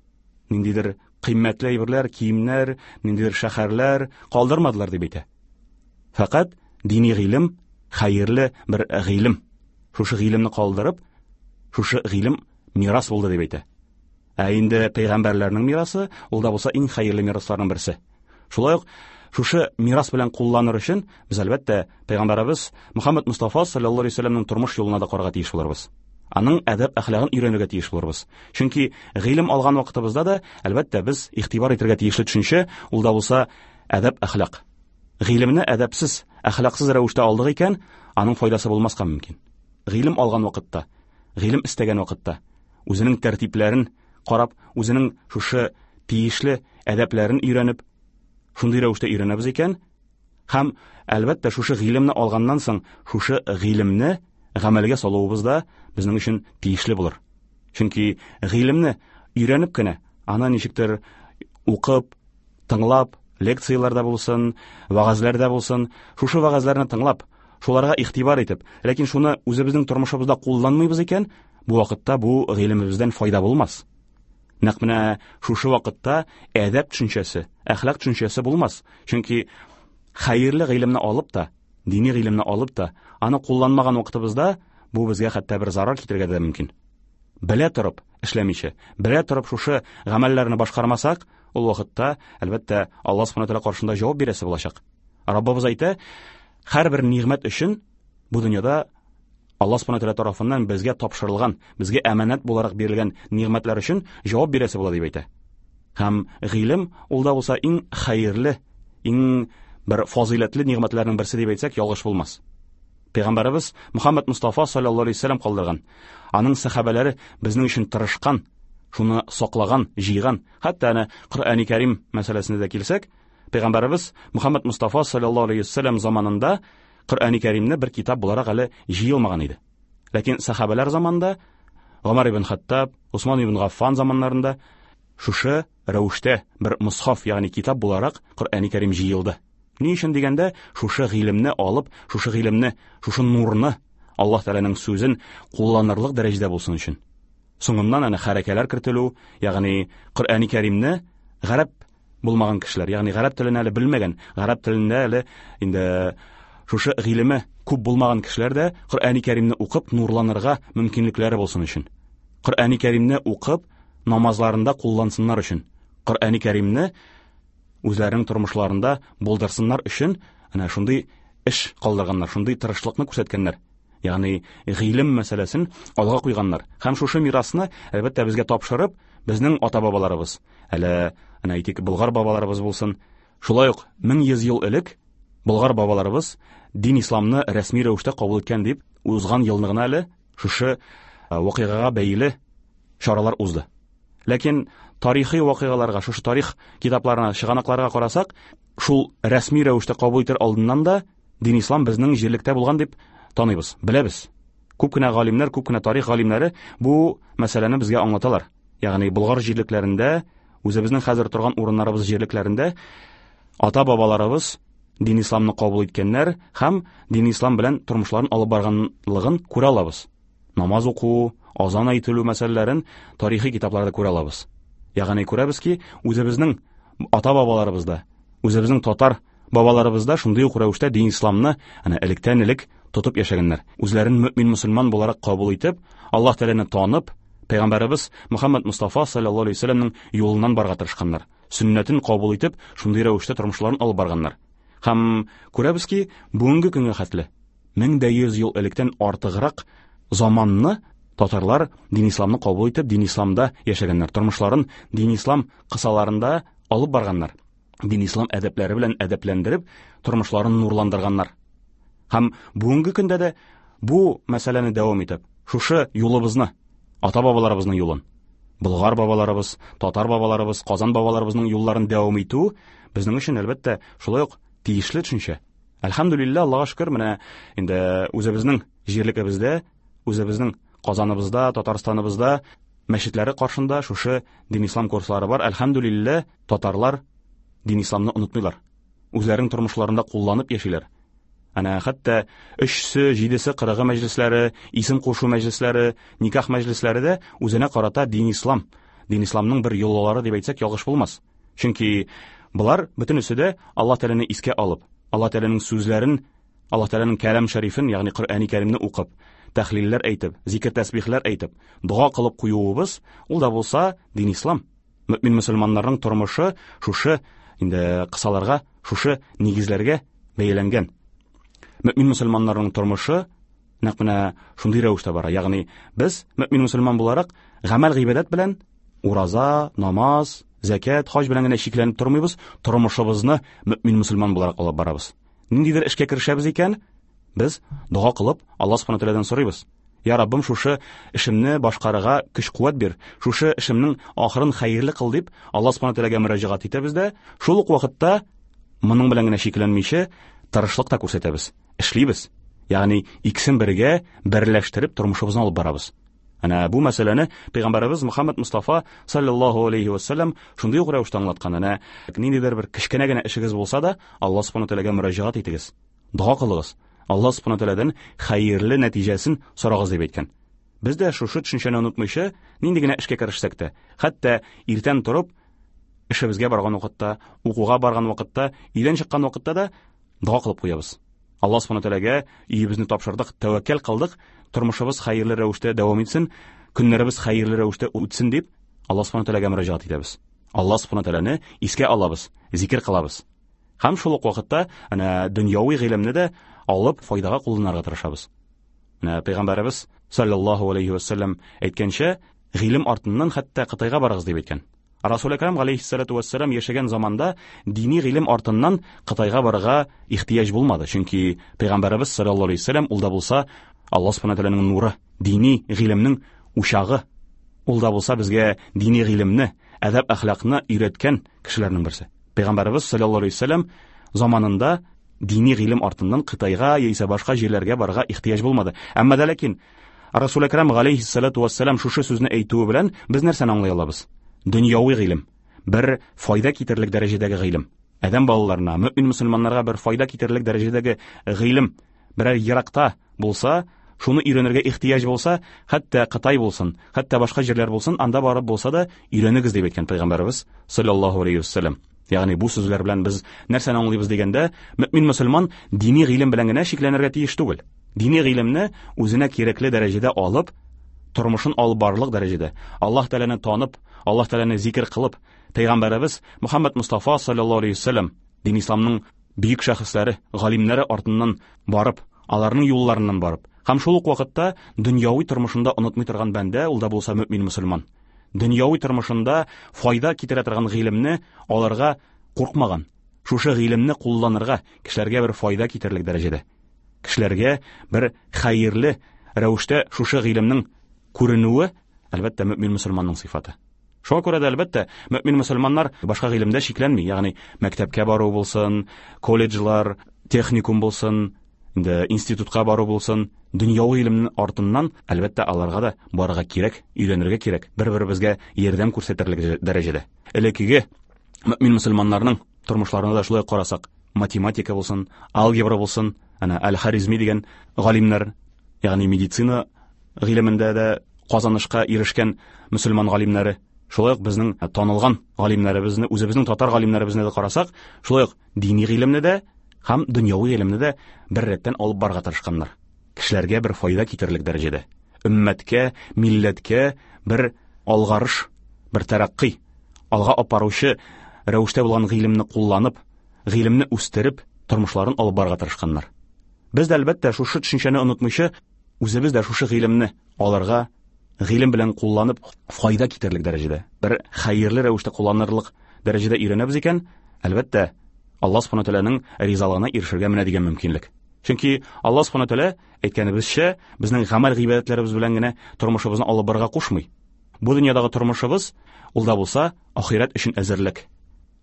ниндидер кыйммәтле әйберләр, киемнәр, ниндидер шәһәрләр калдырмадылар дип әйтә. Фәкать дини гыйлем хәерле бер гыйлем. Шушы гыйлемне калдырып, шушы гыйлем мирас булды дип әйтә. Ә инде пәйгамбәрләрнең мирасы, ул да булса иң хәерле мирасларның берсе. Шулай ук шушы мирас белән кулланыр өчен без әлбәттә пәйгамбәребез Мөхәммәд Мустафа саллаллаһу алейһи ва сәлләмнең тормыш юлына да карарга тиеш булырбыз. Аның әдәп әхлагын өйрәнергә тиеш булырбыз. Чөнки гыйлем алган вакытыбызда да әлбәттә без игътибар итәргә тиешле төшенчә, ул да булса әдәп әхлак. Гыйлемне әдәпсез, әхлаксыз рәвештә алдык икән, аның файдасы булмаска мөмкин. Гыйлем алган вакытта, гыйлем истәгән вакытта үзенең тәртипләрен карап, үзенең шушы тиешле әдәпләрен өйрәнеп, шундый рәвештә өйрәнәбез икән, һәм әлбәттә шушы гыйлемне алганнан соң шушы гыйлемне гамәлгә салуыбыз да безнең өчен тиешле булыр. Чөнки гыйлемне өйрәнеп кенә, аны ничектер укып, тыңлап, лекцияләрдә булсын, вәгазьләрдә булсын, шушы вәгазьләрне тыңлап, шуларга игътибар итеп, ләкин шуны үзебезнең тормышыбызда кулланмыйбыз икән, бу вакытта бу гыйлемебездән файда булмас. Нәкъ менә шушы вакытта әдәп төшенчәсе, әхлак төшенчәсе булмас. Чөнки хәерле гыйлемне алып та, дини гыйлемне алып та, аны кулланмаган вакытыбызда бу безгә хәтта бер зарар китерергә дә мөмкин. Белә торып эшләмичә, белә торып шушы гамәлләрне башкармасак, ул вакытта әлбәттә Аллаһ субхана тәгалә каршында җавап бирәсе булачак. Раббыбыз әйтә, һәрбер нигъмәт өчен бу дөньяда Аллаһ субхана тәгалә тарафыннан безгә тапшырылган, безгә әманәт буларак бирелгән нигъмәтләр өчен җавап бирәсе була дип әйтә. Һәм гыйлем ул да булса иң хәерле, иң бер фазыйләтле нигъмәтләрнең берсе дип әйтсәк, ялгыш булмас. Пәйгамбәребез Мөхәммәд Мустафа саллаллаһу алейһи ва сәлләм калдырган. Аның сәхабәләре безнең өчен тырышкан, шуны саклаган, җыйган. Хәтта әнә Коръәни Кәрим мәсьәләсенә дә килсәк, Пәйгамбәребез Мөхәммәд Мустафа саллаллаһу алейһи ва сәлләм заманында Коръәни Кәримне бер китап буларак әле җыелмаган иде. Ләкин сәхабәләр заманында Гомар ибн Хаттаб, Усман ибн Гаффан заманнарында шушы рәвештә бер мусхаф, ягъни китап буларак Коръәни Кәрим җыелды. Ни өчен дигәндә, шушы гыйлемне алып, шушы гыйлемне, шушы нурны Аллаһ Тәгаләнең сүзен кулланырлык дәрәҗәдә булсын өчен. Соңыннан әнә хәрәкәләр кертелү, ягъни Коръәни Кәримне гарәп булмаган кешеләр, ягъни гарәп телен әле белмәгән, гарәп телендә әле инде шушы гыйлеме күп булмаган кешеләр дә Коръәни Кәримне укып нурланырга мөмкинлекләре булсын өчен. Коръәни Кәримне укып намазларында куллансыннар өчен. Коръәни Кәримне үзләренең тормышларында булдырсыннар өчен әнә шундый эш калдырганнар, шундый тырышлыкны күрсәткәннәр. Ягъни гыйлем мәсьәләсен алга куйганнар. Һәм шушы мирасны әлбәттә безгә тапшырып, безнең ата-бабаларыбыз, әле әнә әйтик, болгар бабаларыбыз булсын, шулай ук мең йөз ел элек болгар бабаларыбыз дин исламны рәсми рәвештә кабул иткән дип, узган елны гына әле шушы вакыйгага бәйле чаралар узды. Ләкин тарихи вакыйгаларга, шушы тарих китапларына, чыганакларга карасак, шул рәсми рәвештә кабул итер алдыннан да дин ислам безнең җирлектә булган дип таныйбыз, беләбез. Күп кенә галимнәр, күп кенә тарих галимнәре бу мәсьәләне безгә аңлаталар. Ягъни болгар җирлекләрендә, үзебезнең хәзер торган урыннарыбыз җирлекләрендә ата-бабаларыбыз дин исламны кабул иткәннәр һәм дин ислам белән тормышларын алып барганлыгын күрә алабыз. Намаз уку, азан әйтелү мәсьәләләрен тарихи китапларда күрә алабыз. Ягъни күрәбез ки, үзебезнең ата-бабаларыбызда, үзебезнең татар бабаларыбызда шундый ук рәвештә дин исламны әнә электән элек тотып яшәгәннәр. Үзләрен мөмин мөселман буларак кабул итеп, Аллаһ Тәгаләне танып, Пәйгамбәребез Мөхәммәд Мустафа саллаллаһу алейһи ва сәлләмнең юлыннан барырга тырышканнар. Сөннәтен кабул итеп, шундый рәвештә тормышларын алып барганнар. Һәм күрәбез ки, бүгенге көнгә хәтле мең дә йөз ел электән артыграк заманны татарлар дин исламны кабул итеп, дин исламда яшәгәннәр, тормышларын дин ислам кысаларында алып барганнар. Дин ислам әдәпләре белән әдәпләндереп, тормышларын нурландырганнар. Һәм бүгенге көндә дә бу мәсьәләне дәвам итеп, шушы юлыбызны, ата-бабаларыбызның юлын, болгар бабаларыбыз, татар бабаларыбыз, казан бабаларыбызның юлларын дәвам итү безнең өчен әлбәттә шулай ук тиешле төшенчә. Әлхәмдүлилләһ, Аллаһка шөкер, менә инде үзебезнең җирлегебездә, үзебезнең Казаныбызда, Татарстаныбызда мәчетләре каршында шушы дин ислам курслары бар. Әлхәмдүлилләһ, татарлар дин исламны онытмыйлар. Үзләренең тормышларында кулланып яшиләр. Әнә хәтта өчсе, җидесе, кырыгы мәҗлесләре, исем кушу мәҗлесләре, никах мәҗлесләре дә үзенә карата дин ислам, дин исламның бер йолалары дип әйтсәк ялгыш булмас. Чөнки болар бөтенесе дә Аллаһ Тәгаләне искә алып, Аллаһ Тәгаләнең сүзләрен, Аллаһ Тәгаләнең кәлам шәрифен, ягъни Коръәни Кәримне укып, тәхлилләр әйтеп, зикр тәсбихләр әйтеп, дога кылып куюыбыз, ул да булса дин ислам. Мөмин мөселманнарның тормышы шушы инде кысаларга, шушы нигезләргә бәйләнгән. Мөмин мөселманнарның тормышы нәкъ менә шундый рәвештә бара. Ягъни без мөмин мөселман буларак гамәл гыйбадәт белән ураза, намаз, зәкят, хаҗ белән генә чикләнеп тормыйбыз, тормышыбызны мөмин мөселман буларак алып барабыз. Ниндидер эшкә керешәбез икән, без дога кылып Аллаһ субхана тәгаләдән сорыйбыз. Я Раббым, шушы эшемне башкарырга көч-куәт бир, шушы эшемнең ахырын хәерле кыл дип Аллаһ субхана тәгаләгә мөрәҗәгать итәбез дә, шул ук вакытта моның белән генә чикләнмичә тырышлык та күрсәтәбез, эшлибез. Ягъни икесен бергә берләштереп тормышыбызны алып барабыз. Әнә бу мәсьәләне Пәйгамбәребез Мөхәммәд Мустафа саллаллаһу алейһи ва сәлләм шундый ук рәвештә аңлаткан. Әнә ниндидер бер кечкенә генә эшегез булса да, Аллаһ субхана тәгаләгә мөрәҗәгать итегез, дога кылыгыз, Аллаһ субхана тәгаләдән хәерле нәтиҗәсен сорагыз дип әйткән. Без дә шушы төшенчәне онытмыйча, нинди генә эшкә керешсәк тә, хәтта иртән торып эшебезгә барган вакытта, укуга барган вакытта, өйдән чыккан вакытта да дога кылып куябыз. Аллаһ субхана тәгаләгә өебезне тапшырдык, тәвәккәл кылдык, тормышыбыз хәерле рәвештә дәвам итсен, көннәребез хәерле рәвештә үтсен дип Аллаһ субхана тәгаләгә мөрәҗәгать итәбез. Аллаһ субхана тәгаләне искә алабыз, зикер кылабыз. Һәм шул ук вакытта әнә дөньяви гыйлемне дә алып файдага кулланырга тырышабыз. Менә Пәйгамбәребез саллаллаһу алейһи ва сәлләм әйткәнчә, гыйлем артыннан хәтта Кытайга барыгыз дип әйткән. Расул Әкрам алейһиссалату вассалам яшәгән заманда дини гыйлем артыннан Кытайга барырга ихтыяҗ булмады. Чөнки Пәйгамбәребез саллаллаһу алейһи ва сәлләм ул да булса Аллаһ субхана тәгаләнең нуры, дини гыйлемнең учагы. Ул да булса безгә дини гыйлемне, әдәп әхлакны өйрәткән кешеләрнең берсе. Пәйгамбәребез саллаллаһу алейһи ва сәлләм заманында дини гыйлем артыннан Кытайга яисә башка җирләргә барырга ихтыяҗ булмады. Әмма дә ләкин Расул Әкрам алейһиссалату вассалам шушы сүзне әйтүе белән без нәрсәне аңлый алабыз? Дөньяви гыйлем, бер файда китерлек дәрәҗәдәге гыйлем. Адәм балаларына, мөмин мөселманнарга бер файда китерлек дәрәҗәдәге гыйлем берәр еракта булса, шуны өйрәнергә ихтыяҗ булса, хәтта Кытай булсын, хәтта башка җирләр булсын, анда барып булса да өйрәнегез дип әйткән Пәйгамбәребез саллаллаһу алейһи ва сәлләм. Ягъни бу сүзләр белән без нәрсәне аңлыйбыз дигәндә, мөмин мөселман дини гыйлем белән генә чикләнергә тиеш түгел. Дини гыйлемне үзенә кирәкле дәрәҗәдә алып, тормышын алып барырлык дәрәҗәдә, Аллаһ Тәгаләне танып, Аллаһ Тәгаләне зикр кылып, пәйгамбәребез Мөхәммәд Мустафа саллаллаһу алейһи вәсәлләм, дин исламның бөек шәхесләре, галимнәре артыннан барып, аларның юлларыннан барып, һәм шул ук вакытта дөньяви тормышында онытмый торган бәндә, ул да булса мөмин мөселман. Дөньяви тормышында файда китерә торган гыйлемне аларга куркмаган, шушы гыйлемне кулланырга, кешеләргә бер файда китерерлек дәрәҗәдә, кешеләргә бер хәерле рәвештә шушы гыйлемнең күренүе, әлбәттә, мөмин мөселманның сыйфаты. Шуңа күрә дә, әлбәттә, мөмин мөселманнар башка гыйлемдә шикләнми, ягъни мәктәпкә бару булсын, колледжлар, техникум булсын, инде институтка бару булсын, дөньяви гыйлемнең артыннан, әлбәттә, аларга да барырга кирәк, өйрәнергә кирәк, бер-беребезгә ярдәм күрсәтерлек дәрәҗәдә. Элеккеге мөмин мөселманнарның тормышларына да шулай карасак, математика булсын, алгебра булсын, әнә Әл-Харизми дигән галимнәр, ягъни медицина гыйлемендә дә казанышка ирешкән мөселман галимнәре, шулай ук безнең танылган галимнәребезне, үзебезнең татар галимнәребезне дә карасак, шулай ук дини гыйлемне дә һәм дөньяви гыйлемне дә бер рәттән алып барырга тырышканнар. Кешеләргә бер файда китерерлек дәрәҗәдә, өммәткә, милләткә бер алгарыш, бер тәрәккый, алга апаручы рәвештә булган гыйлемне кулланып, гыйлемне үстереп, тормышларын алып барырга тырышканнар. Без дә, әлбәттә, шушы төшенчәне онытмыйча, үзебез дә шушы гыйлемне алырга, гыйлем белән кулланып файда китерерлек дәрәҗәдә, бер хәерле рәвештә кулланырлык дәрәҗәдә өйрәнәбез икән, әлбәттә, Аллаһ субхана тәгаләнең ризалыгына ирешергә менә дигән мөмкинлек. Чөнки Аллаһ субхана тәгалә, әйткәнебезчә, безнең гамәл гыйбадәтләребез белән генә тормышыбызны алып барырга кушмый. Бу дөньядагы тормышыбыз, ул да булса, ахирәт өчен әзерлек.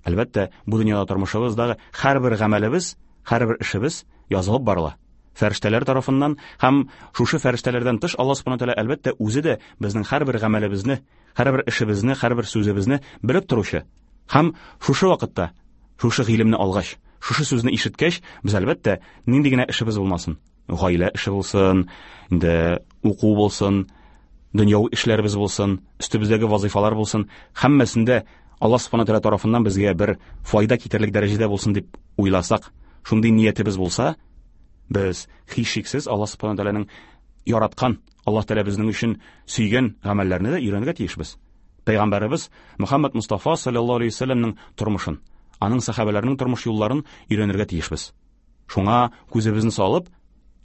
Әлбәттә, бу дөньяда тормышыбыздагы һәрбер гамәлебез, һәрбер эшебез язылып барыла. Фәрештәләр тарафыннан һәм шушы фәрештәләрдән тыш Аллаһ субхана тәгалә әлбәттә үзе дә безнең һәрбер гамәлебезне, һәрбер эшебезне, һәрбер сүзебезне белеп торучы. Һәм шушы вакытта, шушы гыйлемне алгач, шушы сүзне ишеткәч, без әлбәттә нинди генә эшебез булмасын, гаилә эше булсын, инде уку булсын, дөньяви эшләребез булсын, өстебездәге вазифалар булсын, һәммәсендә Аллаһ субхана тәгалә тарафыннан безгә бер файда китерерлек дәрәҗәдә булсын дип уйласак, шундый ниятебез булса, без һичшиксез Аллаһ субхана тәгаләнең яраткан, Аллаһ Тәгалә безнең өчен сөйгән гамәлләрне дә өйрәнергә тиешбез. Пәйгамбәребез Мөхәммәд Мустафа саллаллаһу алейһи вәсәлләмнең тормышын, аның сәхабәләренең тормыш юлларын өйрәнергә тиешбез. Шуңа күзебезне салып,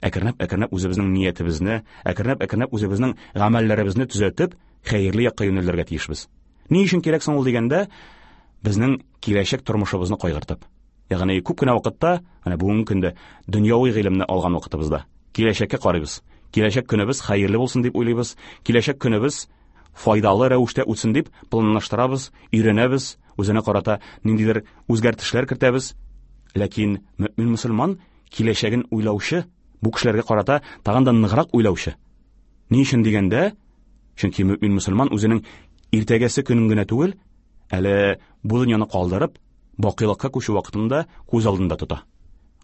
әкренләп-әкренләп үзебезнең ниятебезне, әкренләп-әкренләп үзебезнең гамәлләребезне төзәтеп, хәерле якка юнәлергә тиешбез. Ни өчен кирәк соң ул дигәндә, безнең киләчәк тормышыбызны кайгыртып. Ягъни күп кенә вакытта, менә бүгенге көндә дөньяви гыйлемне алган вакытыбызда киләчәккә карыйбыз. Киләчәк көнебез хәерле булсын дип уйлыйбыз, киләчәк көнебез файдалы рәвештә үтсен дип планлаштырабыз, өйрәнәбез, үзенә карата ниндидер үзгәртешләр кертәбез. Ләкин мөмин мөселман киләчәген уйлаучы, бу кешеләргә карата тагын да ныграк уйлаучы. Ни өчен дигәндә, чөнки мөмин мөселман үзенең иртәгәсе көнен генә түгел, әле бу дөньяны калдырып, бакыйлыкка күчү вакытында күз алдында тота.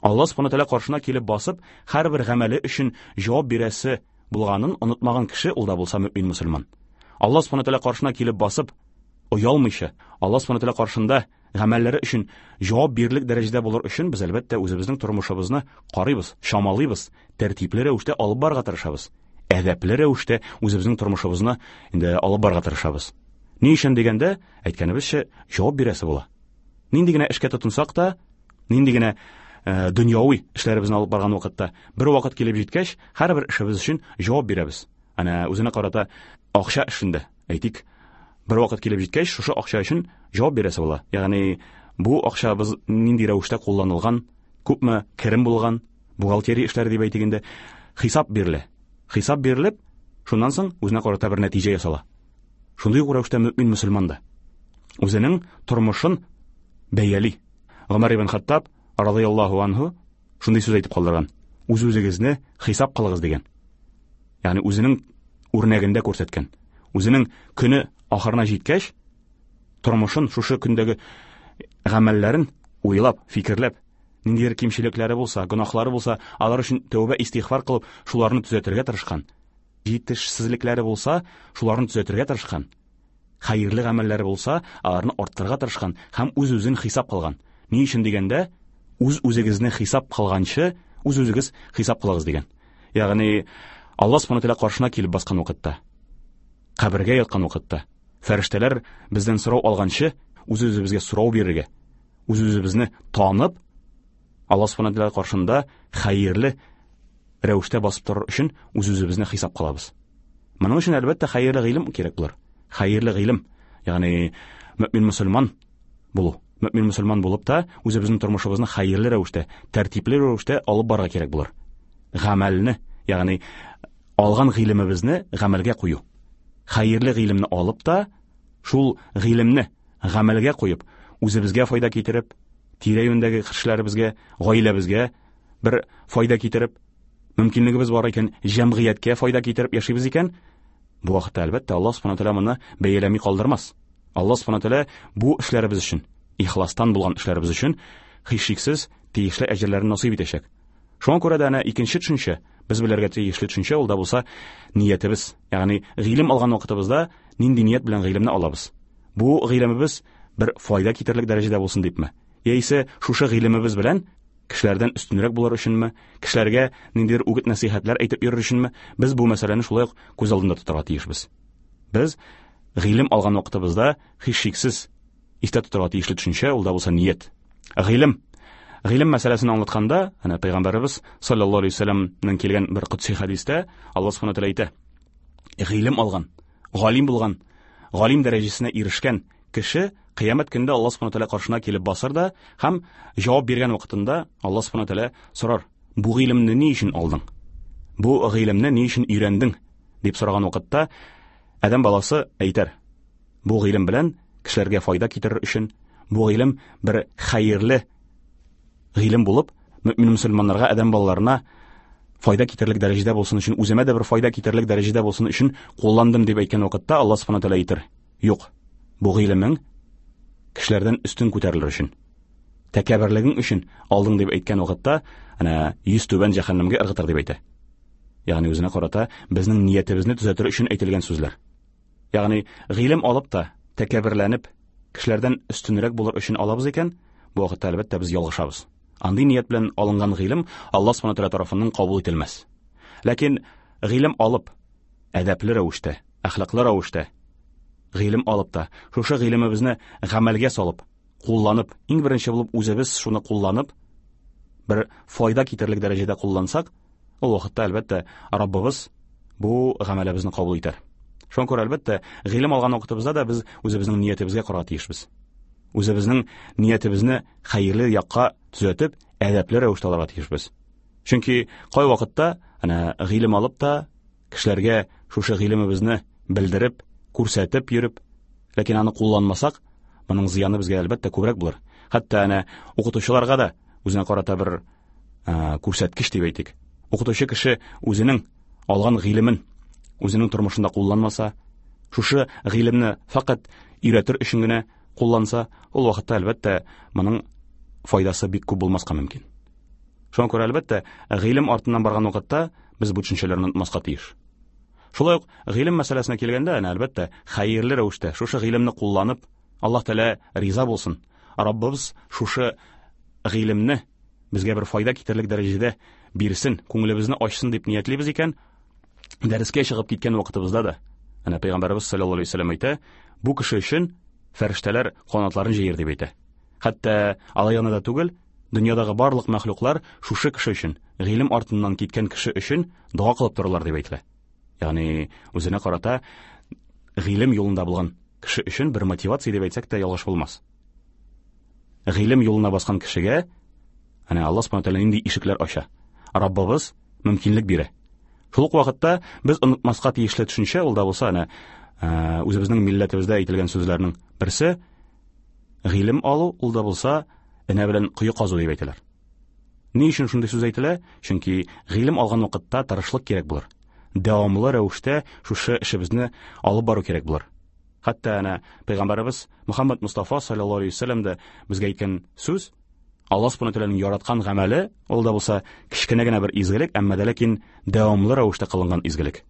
Аллаһ субхана тәгалә каршына килеп басып, һәрбер гамәле өчен җавап бирәсе булганын онытмаган кеше ул да булса мөмин мөселман. Аллаһ субхана тәгалә каршына килеп басып, оялмыйча, Аллаһ субхана тәгалә каршында гамәлләре өчен җавап бирерлек дәрәҗәдә булыр өчен без әлбәттә үзебезнең тормышыбызны карыйбыз, чамалыйбыз, тәртипле рәвештә алып барырга тырышабыз. Әдәпле рәвештә үзебезнең тормышыбызны инде алып барырга тырышабыз. Ни өчен дигәндә, әйткәнебезчә, җавап бирәсе була. Нинди генә эшкә тотынсак та, нинди генә э, дөньяви эшләребезне алып барган вакытта, бер вакыт килеп җиткәч, һәрбер эшебез өчен җавап бирәбез. Әнә үзенә карата акча эшендә, әйтик, бер вакыт килеп җиткәч, шушы акча өчен җавап бирәсе була. Ягъни бу акчабыз нинди рәвештә кулланылган, күпме керем булган, бухгалтерия эшләре дип әйтик инде, хисап бирелә. Хисап бирелеп, шуннан соң үзенә карата бер нәтиҗә ясала. Шундый ук рәвештә мөмин мөселман да үзенең тормышын бәяли. Гомәр ибн Хаттаб радыяллаһу анһу шундый сүз әйтеп калдырган: үз-үзегезне хисап кылыгыз дигән. Ягъни үзенең үрнәгендә күрсәткән. Үзенең көне ахырына җиткәч, тормышын, шушы көндәге гамәлләрен уйлап, фикерләп, ниндидер кимчелекләре булса, гөнаһлары булса, алар өчен тәүбә истигъфар кылып, шуларны төзәтергә тырышкан. Җитешсезлекләре булса, шуларны төзәтергә тырышкан. Хәерле гамәлләре булса, аларны арттырырга тырышкан һәм үз-үзен хисап кылган. Ни өчен дигәндә, үз-үзегезне хисап кылганчы, үз-үзегез хисап кылыгыз дигән. Ягъни Аллаһ субхана тәгалә каршына килеп баскан вакытта, кабергә яткан вакытта, Фәрештәләр бездән сорау алганчы, үз-үзебезгә сорау бирергә, үз-үзебезне танып, Аллаһ субхана тәгалә каршында хәерле рәвештә басып торыр өчен үз-үзебезне хисап кылабыз. Моның өчен әлбәттә хәерле гыйлем кирәк булыр. Хәерле гыйлем, ягъни мөмин мөселман булу. Мөмин мөселман булып та үзебезнең тормышыбызны хәерле рәвештә, тәртипле рәвештә алып барырга кирәк булыр. Гамәлне, ягъни алган гыйлемебезне гамәлгә кую. Хәерле гыйлемне алып та, шул гыйлемне гамәлгә куеп, үзебезгә файда китереп, тирә-юньдәге кешеләребезгә, гаиләбезгә бер файда китереп, мөмкинлегебез бар икән, җәмгыятькә файда китереп яшибез икән, бу вакытта әлбәттә Аллаһ субхана тәгалә моны бәяләми калдырмас. Аллаһ субхана тәгалә бу эшләребез өчен, ихластан булган эшләребез өчен һичшиксез тиешле әҗерләрен насыйп итәчәк. Шуңа күрә дә әнә икенче төшенчә, без белергә тиешле төшенчә ул да булса ниятебез, ягъни гыйлем алган вакытыбызда нинди ният белән гыйлемне алабыз. Бу гыйлемебез бер файда китерерлек дәрәҗәдә булсын дипме? Яисә шушы гыйлемебез белән кешеләрдән өстенрәк булыр өченме, кешеләргә ниндидер үгет нәсыйхәтләр әйтеп йөрер өченме? Без бу мәсьәләне шулай ук күз алдында тотарга тиешбез. Без гыйлем алган вакытыбызда һичшиксез истә тотарга тиешле төшенчә ул да булса ният. Гыйлем Гыйлем мәсьәләсен аңлатканда, әнә пәйгамбәребез саллаллаһу алейһи вәсәлләмнең килгән бер кудси хәдистә Аллаһ субхана тәгалә әйтә: гыйлем алган, галим булган, галим дәрәҗәсенә ирешкән кеше кыямәт көндә Аллаһ субхана тәгалә каршына килеп басыр да һәм җавап биргән вакытында Аллаһ субхана тәгалә сорар: бу гыйлемне ни өчен алдың? Бу гыйлемне ни өчен өйрәндең? Дип сораган вакытта адәм баласы әйтер: бу гыйлем белән кешеләргә файда китерер өчен, бу гыйлем бер хәерле гыйлем булып, мөмин мөселманнарга, адәм балаларына файда китерерлек дәрәҗәдә булсын өчен, үземә дә бер файда китерерлек дәрәҗәдә булсын өчен кулландым дип әйткән вакытта Аллаһ субхана тәгалә әйтер: юк, бу гыйлемең кешеләрдән өстен күтәрелер өчен, тәкәбберлегең өчен алдың дип әйткән вакытта, әнә йөз түбән җәһәннәмгә ыргытыр дип әйтә. Ягъни үзенә карата безнең ниятебезне төзәтер өчен әйтелгән сүзләр. Ягъни гыйлем алып та тәкәбберләнеп кешеләрдән өстенрәк булыр өчен алабыз икән, бу вакытта әлбәттә без ялгышабыз. Андый ният белән алынган гыйлем Аллаһ субхана тәгалә тарафыннан кабул ителмәс. Ләкин гыйлем алып, әдәпле рәвештә, әхлаклы рәвештә гыйлем алып та, шушы гыйлемебезне гамәлгә салып, кулланып, иң беренче булып үзебез шуны кулланып, бер файда китерерлек дәрәҗәдә куллансак, ул вакытта әлбәттә Раббыбыз бу гамәлебезне кабул итәр. Шуңа күрә әлбәттә гыйлем алган вакытыбызда да без үзебезнең ниятебезгә карарга тиешбез. Үзебезнең ниятебезне хәерле якка төзәтеп, әдәпле рәвештә алырга тиешбез. Чөнки кай вакытта әнә гыйлем алып та кешеләргә шушы гыйлемебезне белдереп, күрсәтеп йөреп, ләкин аны кулланмасак, моның зыяны безгә әлбәттә күбрәк булыр. Хәтта әнә укытучыларга да үзенә карата бер күрсәткеч дип әйтик. Укытучы кеше үзенең алган гыйлемен үзенең тормышында кулланмаса, шушы гыйлемне фақат өйрәтер өчен генә кулланса, ул вакытта әлбәттә моның файдасы бик күп булмаска мөмкин. Шуңа күрә әлбәттә гыйлем артыннан барган вакытта без бу төшенчәләрне онытмаска тиеш. Шулай ук гыйлем мәсьәләсенә килгәндә, әнә әлбәттә хәерле рәвештә шушы гыйлемне кулланып, Аллаһ Тәгалә риза булсын. Раббыбыз шушы гыйлемне безгә бер файда китерерлек дәрәҗәдә бирсен, күңелебезне ачсын дип ниятлибез икән, дәрескә чыгып киткән вакытыбызда да, әнә пәйгамбәребез саллаллаһу алейһи вәсәлләм әйтә, бу кеше өчен фәрештәләр канатларын җәер дип әйтә. Хәтта алай гына да түгел, дөньядагы барлык мәхлуклар шушы кеше өчен, гыйлем артыннан киткән кеше өчен дога кылып торалар дип әйтелә. Ягъни үзенә карата гыйлем юлында булган кеше өчен бер мотивация дип әйтсәк тә ялгыш булмас. Гыйлем юлына баскан кешегә әнә Аллаһ субхана тәгалә нинди ишекләр ача. Раббыбыз мөмкинлек бирә. Шул ук вакытта без онытмаска тиешле төшенчә ул да булса әнә үзебезнең милләтебездә әйтелгән сүзләрнең берсе гыйлем алу ул да булса энә белән кое казу дип әйтәләр. Ни өчен шундый сүз әйтелә? Чөнки гыйлем алган вакытта тырышлык кирәк булыр. Дәвамлы рәвештә шушы эшебезне алып бару кирәк булыр. Хәтта әнә пәйгамбәребез Мөхәммәд Мустафа саллаллаһу алейһи вәсәлләм дә безгә әйткән сүз Аллаһ субхана тәгаләнең яраткан гамәле, ул да булса кечкенә генә бер изгелек, әмма дә ләкин дәвамлы рәвештә кылынган изгелек.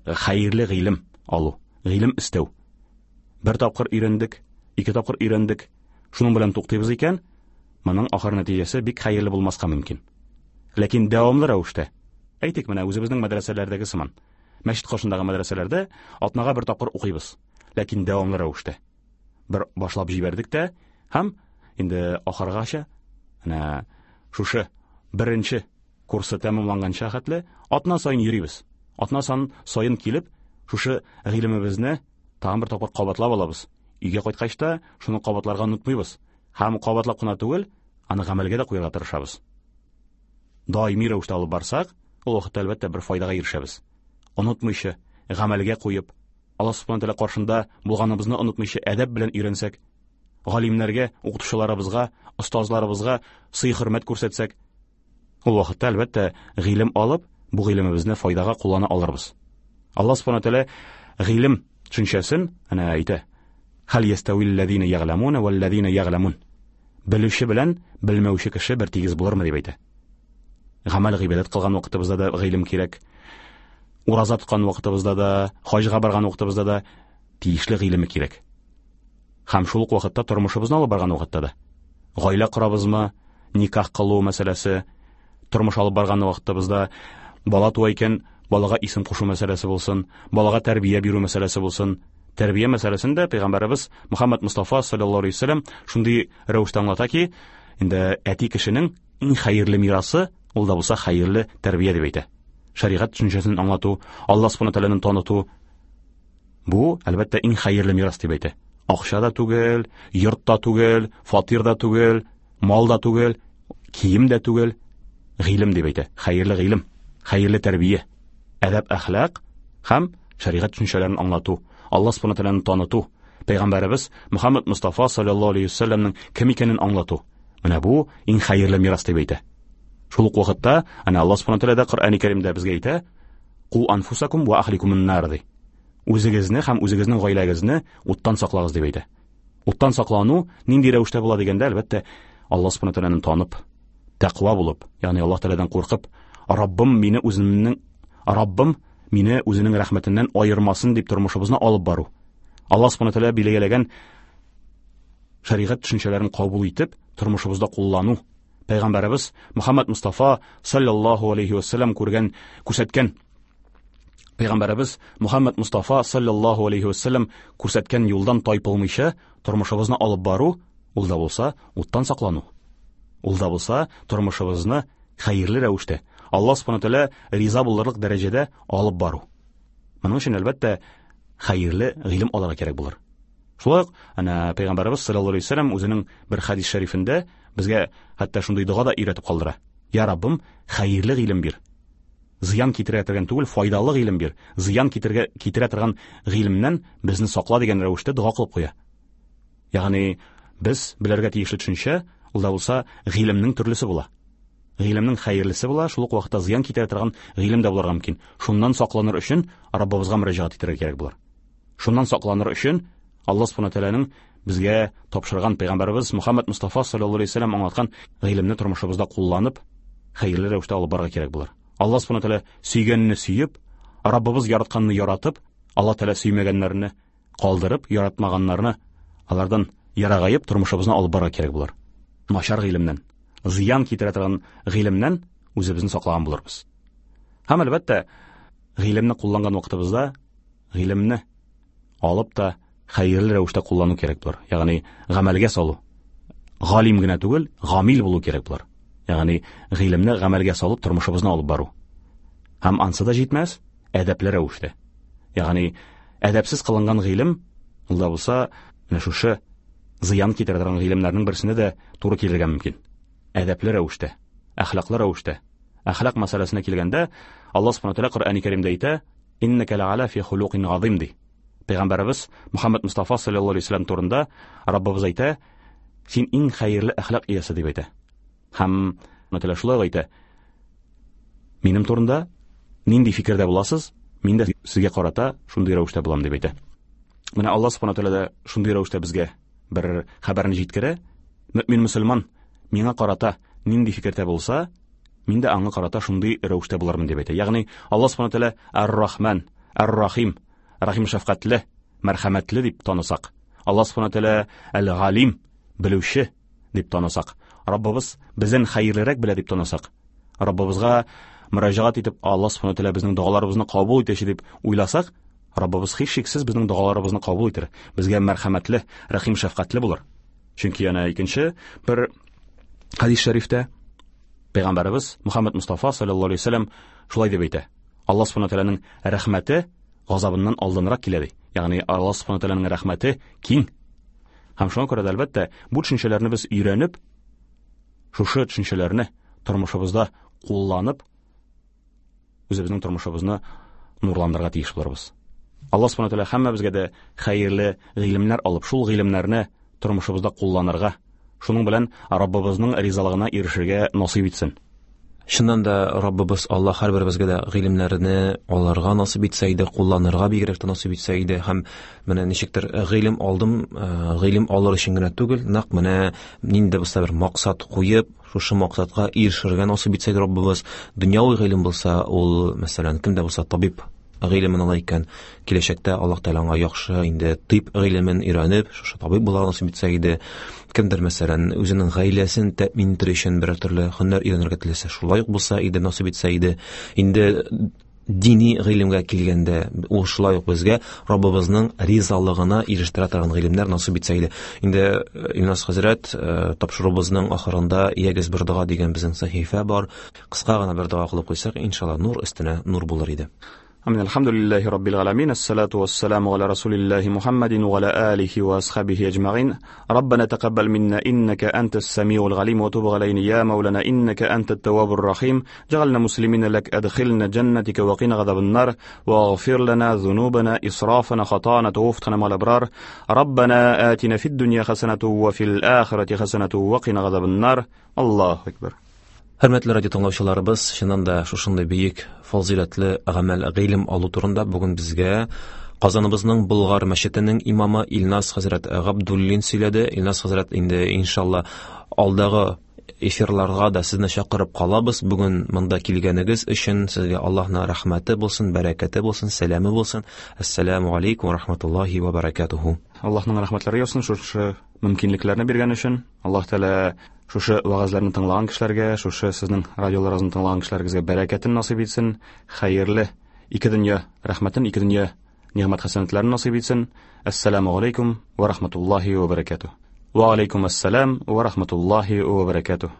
Хәерле гыйлем алу, гыйлем истәү. Бер тапкыр өйрәндек, ике тапкыр өйрәндек, шуның белән туктыйбыз икән, моның ахыр нәтиҗәсе бик хәерле булмаска мөмкин. Ләкин дәвамлы рәвештә, әйтик менә үзебезнең мәдрәсәләрдәге сыман, мәчет каршындагы мәдрәсәләрдә атнага бер тапкыр укыйбыз. ләкин дәвамлы рәвештә. Бер башлап җибәрдек тә һәм инде ахыргача әнә шушы беренче курсы тәмамланганча хәтле атна саен йөрибез. Атна саен килеп, шушы гыйлемебезне тагын бер тапкыр кабатлап алабыз. Өйгә кайткач та шуны кабатларга онытмыйбыз. Һәм кабатлап кына түгел, аны гамәлгә дә куярга тырышабыз. Даими рәвештә алып барсак, ул вакытта әлбәттә бер файдага ирешәбез. Онытмыйча, гамәлгә куеп, Аллаһ субхана тәгалә каршында булганыбызны онытмыйча әдәп белән өйрәнсәк, галимнәргә, укытучыларыбызга, остазларыбызга сый-хөрмәт күрсәтсәк, ул вакытта әлбәттә гыйлем алып, бу гыйлемебезне файдага куллана алырбыз. Аллаһ субхана тәгалә гыйлем төшенчәсен әнә әйтә. Хәл ястәвилләзина ягъламуна вәлләзина ягъламун. Белүче белән белмәүче кеше бер тигез булырмы дип әйтә. Гамәл гыйбадәт кылган вакытыбызда да гыйлем кирәк. Ураза тоткан вакытыбызда да, хаҗга барган вакытыбызда да тиешле гыйлеме кирәк. Һәм шул ук вакытта тормышыбызны алып барган вакытта да. Гаилә корабызмы, никах кылу мәсьәләсе, тормыш алып барган вакытыбызда бала туа икән, балага исем кушу мәсьәләсе булсын, балага тәрбия бирү мәсьәләсе булсын. Тәрбия мәсьәләсендә пәйгамбәребез Мөхәммәд Мустафа саллаллаһу алейһи ва сәлләм шундый рәвештә аңлата ки, инде әти кешенең иң хәерле мирасы ул да булса хәерле тәрбия дип әйтә. Шәригать төшенчәсен аңлату, Аллаһ субхана тәгаләне таныту бу әлбәттә иң хәерле мирас дип әйтә. Акча да түгел, йорт та түгел, фатир да түгел, мал да түгел, кием дә түгел, гыйлем дип әйтә. Хәерле гыйлем, хәерле тәрбия, әдәп, әхлак һәм шәригать төшенчәләрен аңлату, Аллаһ субхана тәгаләне таныту, пәйгамбәребез Мөхәммәд Мустафа саллаллаһу алейһи ва сәлләмнең кем икәнен аңлату. Менә бу иң хәерле мирас дип әйтә. Шул ук вакытта әнә Аллаһ субхана тәгалә дә Коръәни Кәримдә безгә әйтә: "Ку анфусакум ва ахликумун нар" ди. Үзегезне һәм үзегезнең гаиләгезне уттан саклагыз дип әйтә. Уттан саклану нинди рәвештә була дигәндә, әлбәттә, Аллаһ субхана тәгаләне танып, тәкъва булып, ягъни Аллаһ Тәгаләдән куркып, Раббым мине үзенең Раббым мине үзенең рәхмәтеннән аермасын дип тормышыбызны алып бару. Аллаһ субхана тәгалә билгеләгән шәригать төшенчәләрен кабул итеп, тормышыбызда куллану. Пәйгамбәребез Мөхәммәд Мустафа саллаллаһу алейһи ва сәлләм күргән, күрсәткән Пәйгамбәребез Мөхәммәд Мустафа саллаллаһу алейһи ва сәлләм күрсәткән юлдан тайпылмыйча тормышыбызны алып бару, ул да булса уттан саклану. Ул да булса тормышыбызны хәерле рәвештә, Аллаһ субхана тәгалә риза булырлык дәрәҗәдә алып бару. Моның өчен әлбәттә хәерле гыйлем алырга кирәк булыр. Шулай ук әнә пәйгамбәребез саллаллаһу алейһи ва сәлләм үзенең бер хадис шәрифендә безгә хәтта шундый дога да өйрәтеп калдыра. Я Раббым, хәерле гыйлем бир. Зыян китерә торган түгел, файдалы гыйлем бир. Зыян китергә китерә торган гыйлемнән безне сакла дигән рәвештә дога кылып куя. Ягъни без белергә тиешле төшенчә, ул да булса гыйлемнең төрлесе була. Гыйлемнең хәерлесе була, шул ук вакытта зыян китерә торган гыйлем дә булырга мөмкин. Шуннан сакланыр өчен Раббыбызга мөрәҗәгать итәргә кирәк булыр. Шуннан сакланыр өчен Аллаһ субхана тәгаләнең безгә тапшырган пәйгамбәребез Мөхәммәд Мустафа саллаллаһу алейһи ва сәлләм аңлаткан гыйлемне тормышыбызда кулланып, хәерле рәвештә алып барырга кирәк булыр. Аллаһ субхана тәгалә сөйгәнне сөеп, Раббыбыз яратканны яратып, Аллаһ тәгалә сөймәгәннәрне калдырып, яратмаганнарны алардан ярагаеп тормышыбызны алып барырга кирәк булыр. Начар гыйлемнән, зыян китерә торган гыйлемнән үзебезне саклаган булырбыз. Һәм әлбәттә, гыйлемне кулланган вакытыбызда гыйлемне алып та хәерле рәвештә куллану кирәк булыр. Ягъни гамәлгә салу. Галим генә түгел, гамил булу кирәк булыр. Ягъни гыйлемне гамәлгә салып тормышыбызны алып бару. Һәм ансы да җитмәс, әдәпле рәвештә. Ягъни әдәпсез кылынган гыйлем, ул да булса, менә шушы зыян китерә торган гыйлемнәрнең берсенә дә туры килергә мөмкин. Әдәпле рәвештә, әхлаклы рәвештә. Әхлак мәсьәләсенә килгәндә, Аллаһ субхана тәгалә Коръәни Кәримдә әйтә: "Иннәкә лә'аля фи хулукин газим" ди. Пәйгамбәребез Мөхәммәд Мустафа саллаллаһу алейһи ва сәлләм турында Раббыбыз әйтә: "Син иң хәерле әхлак иясе" дип әйтә. Һәм Тәгалә шулай әйтә: "Минем турында нинди фикердә буласыз, мин дә сезгә карата шундый рәвештә булам" дип әйтә. Менә Аллаһ субхана тәгалә дә шундый рәвештә безгә бер хәбәрне җиткерә. Мөмин мөселман миңа карата нинди фикердә булса, мин дә аңа карата шундый рәвештә булырмын дип әйтә. Ягъни Аллаһ субхана тәгалә Ар-Рахман, Ар-Рахим, Рахим шәфкатьле, мәрхәмәтле дип танысак, Аллаһ субхана тәгалә Әл-Галим, белүче дип танысак, Раббыбыз бездән хәерлерәк белә дип танысак, Раббыбызга мөрәҗәгать итеп Аллаһ субхана тәгалә безнең догаларыбызны кабул итәче дип уйласак, Раббыбыз һичшиксез безнең догаларыбызны кабул итер, безгә мәрхәмәтле, рәхим шәфкатьле булыр. Чөнки яна икенче бер хадис шәрифтә Пәйгамбәребез Мөхәммәд Мустафа саллаллаһу алейһи ва сәлләм шулай дип әйтә: Аллаһ субхана тәгаләнең рәхмәте газабыннан алданрак килә ди. Ягъни Аллаһ субхана тәгаләнең рәхмәте киң. Һәм шуңа күрә дә, әлбәттә, бу төшенчәләрне без өйрәнеп, шушы төшенчәләрне тормышыбызда кулланып, үзебезнең тормышыбызны нурландырырга тиеш булырбыз. Аллаһ субхана тәгалә һәммәбезгә дә хәерле гыйлемнәр алып, шул гыйлемнәрне тормышыбызда кулланырга, шуның белән Раббыбызның ризалыгына ирешергә насыйп итсен.
Чыннан да Раббыбыз Аллаһ һәрберебезгә дә гыйлемнәрне алырга насыйп итсә иде, кулланырга бигрәк тә насыйп итсә иде. Һәм менә ничектер гыйлем алдым, гыйлем алыр өчен генә түгел, нәкъ менә нинди булса бер максат куеп, шушы максатка ирешергә насыйп итсә иде Раббыбыз. Дөньяви гыйлем булса, ул, мәсәлән, кем дә булса табиб гыйлемен ала икән, киләчәктә Аллаһ Тәгалә аңа яхшы инде тиб гыйлемен өйрәнеп, шушы табиб булырга насыйп итсә иде. Кемдер, мәсәлән, үзенең гаиләсен тәэмин итәр өчен берәр төрле һөнәр өйрәнергә теләсә, шулай ук булса иде, насыйп итсә иде. Инде дини гыйлемгә килгәндә, ул шулай ук безгә Раббыбызның ризалыгына ирештерә торган гыйлемнәр насыйп итсә иде. Инде Илназ хәзрәт, тапшыруыбызның ахырында "Ягез бер дога" дигән безнең сәхифә бар. Кыска гына бер дога кылып куйсак, иншалла нур өстенә нур булыр иде.
Амин. Алхамдулиллахи раббил аламин. Ассалату вассаламу аля расулиллахи Мухаммадин ва аля алихи ва асхабихи аджмаин. Раббана тақаббал минна иннака антас самиул галим ва туб алейна я маулана иннака антат таввабур рахим. Джална муслимина лак адхилна джаннатика ва қина газабан нар ва агфир лана зунубана исрафана хатана тавфтана мал абрар. Раббана атина фид дунья хасанату ва фил ахирати хасанату ва қина газабан нар. Аллаху акбар.
Хөрмәтле радио тыңлаучыларыбыз, чыннан да шушындай бөек фазыйләтле гамәл гыйлем алу турында бүген безгә Казаныбызның Болгар мәчетенең имамы Илназ хәзрәт Габдуллин сөйләде. Илназ хәзрәт, инде иншалла алдагы эфирларга да сезне чакырып калабыз. Бүген монда килгәнегез өчен сезгә Аллаһның рәхмәте булсын, бәрәкәте булсын, сәламе булсын. Ассаламу алейкум ва рахматуллахи ва баракатуху.
Аллаһның рәхмәтләре яусын шушы мөмкинлекләрне биргән өчен. Аллаһ Тәгалә шушы вәгазьләрне тыңлаган кешеләргә, шушы сезнең радиоларыгызны тыңлаган кешеләргә бәрәкәтен насыйп итсен, хәерле ике дөнья рәхмәтен, ике дөнья нигъмәт хәсәнәтләрен насыйп итсен. Ассаламу алейкум ва рахматуллахи ва баракатух. Ва алейкум ассалам ва рахматуллахи ва баракатух.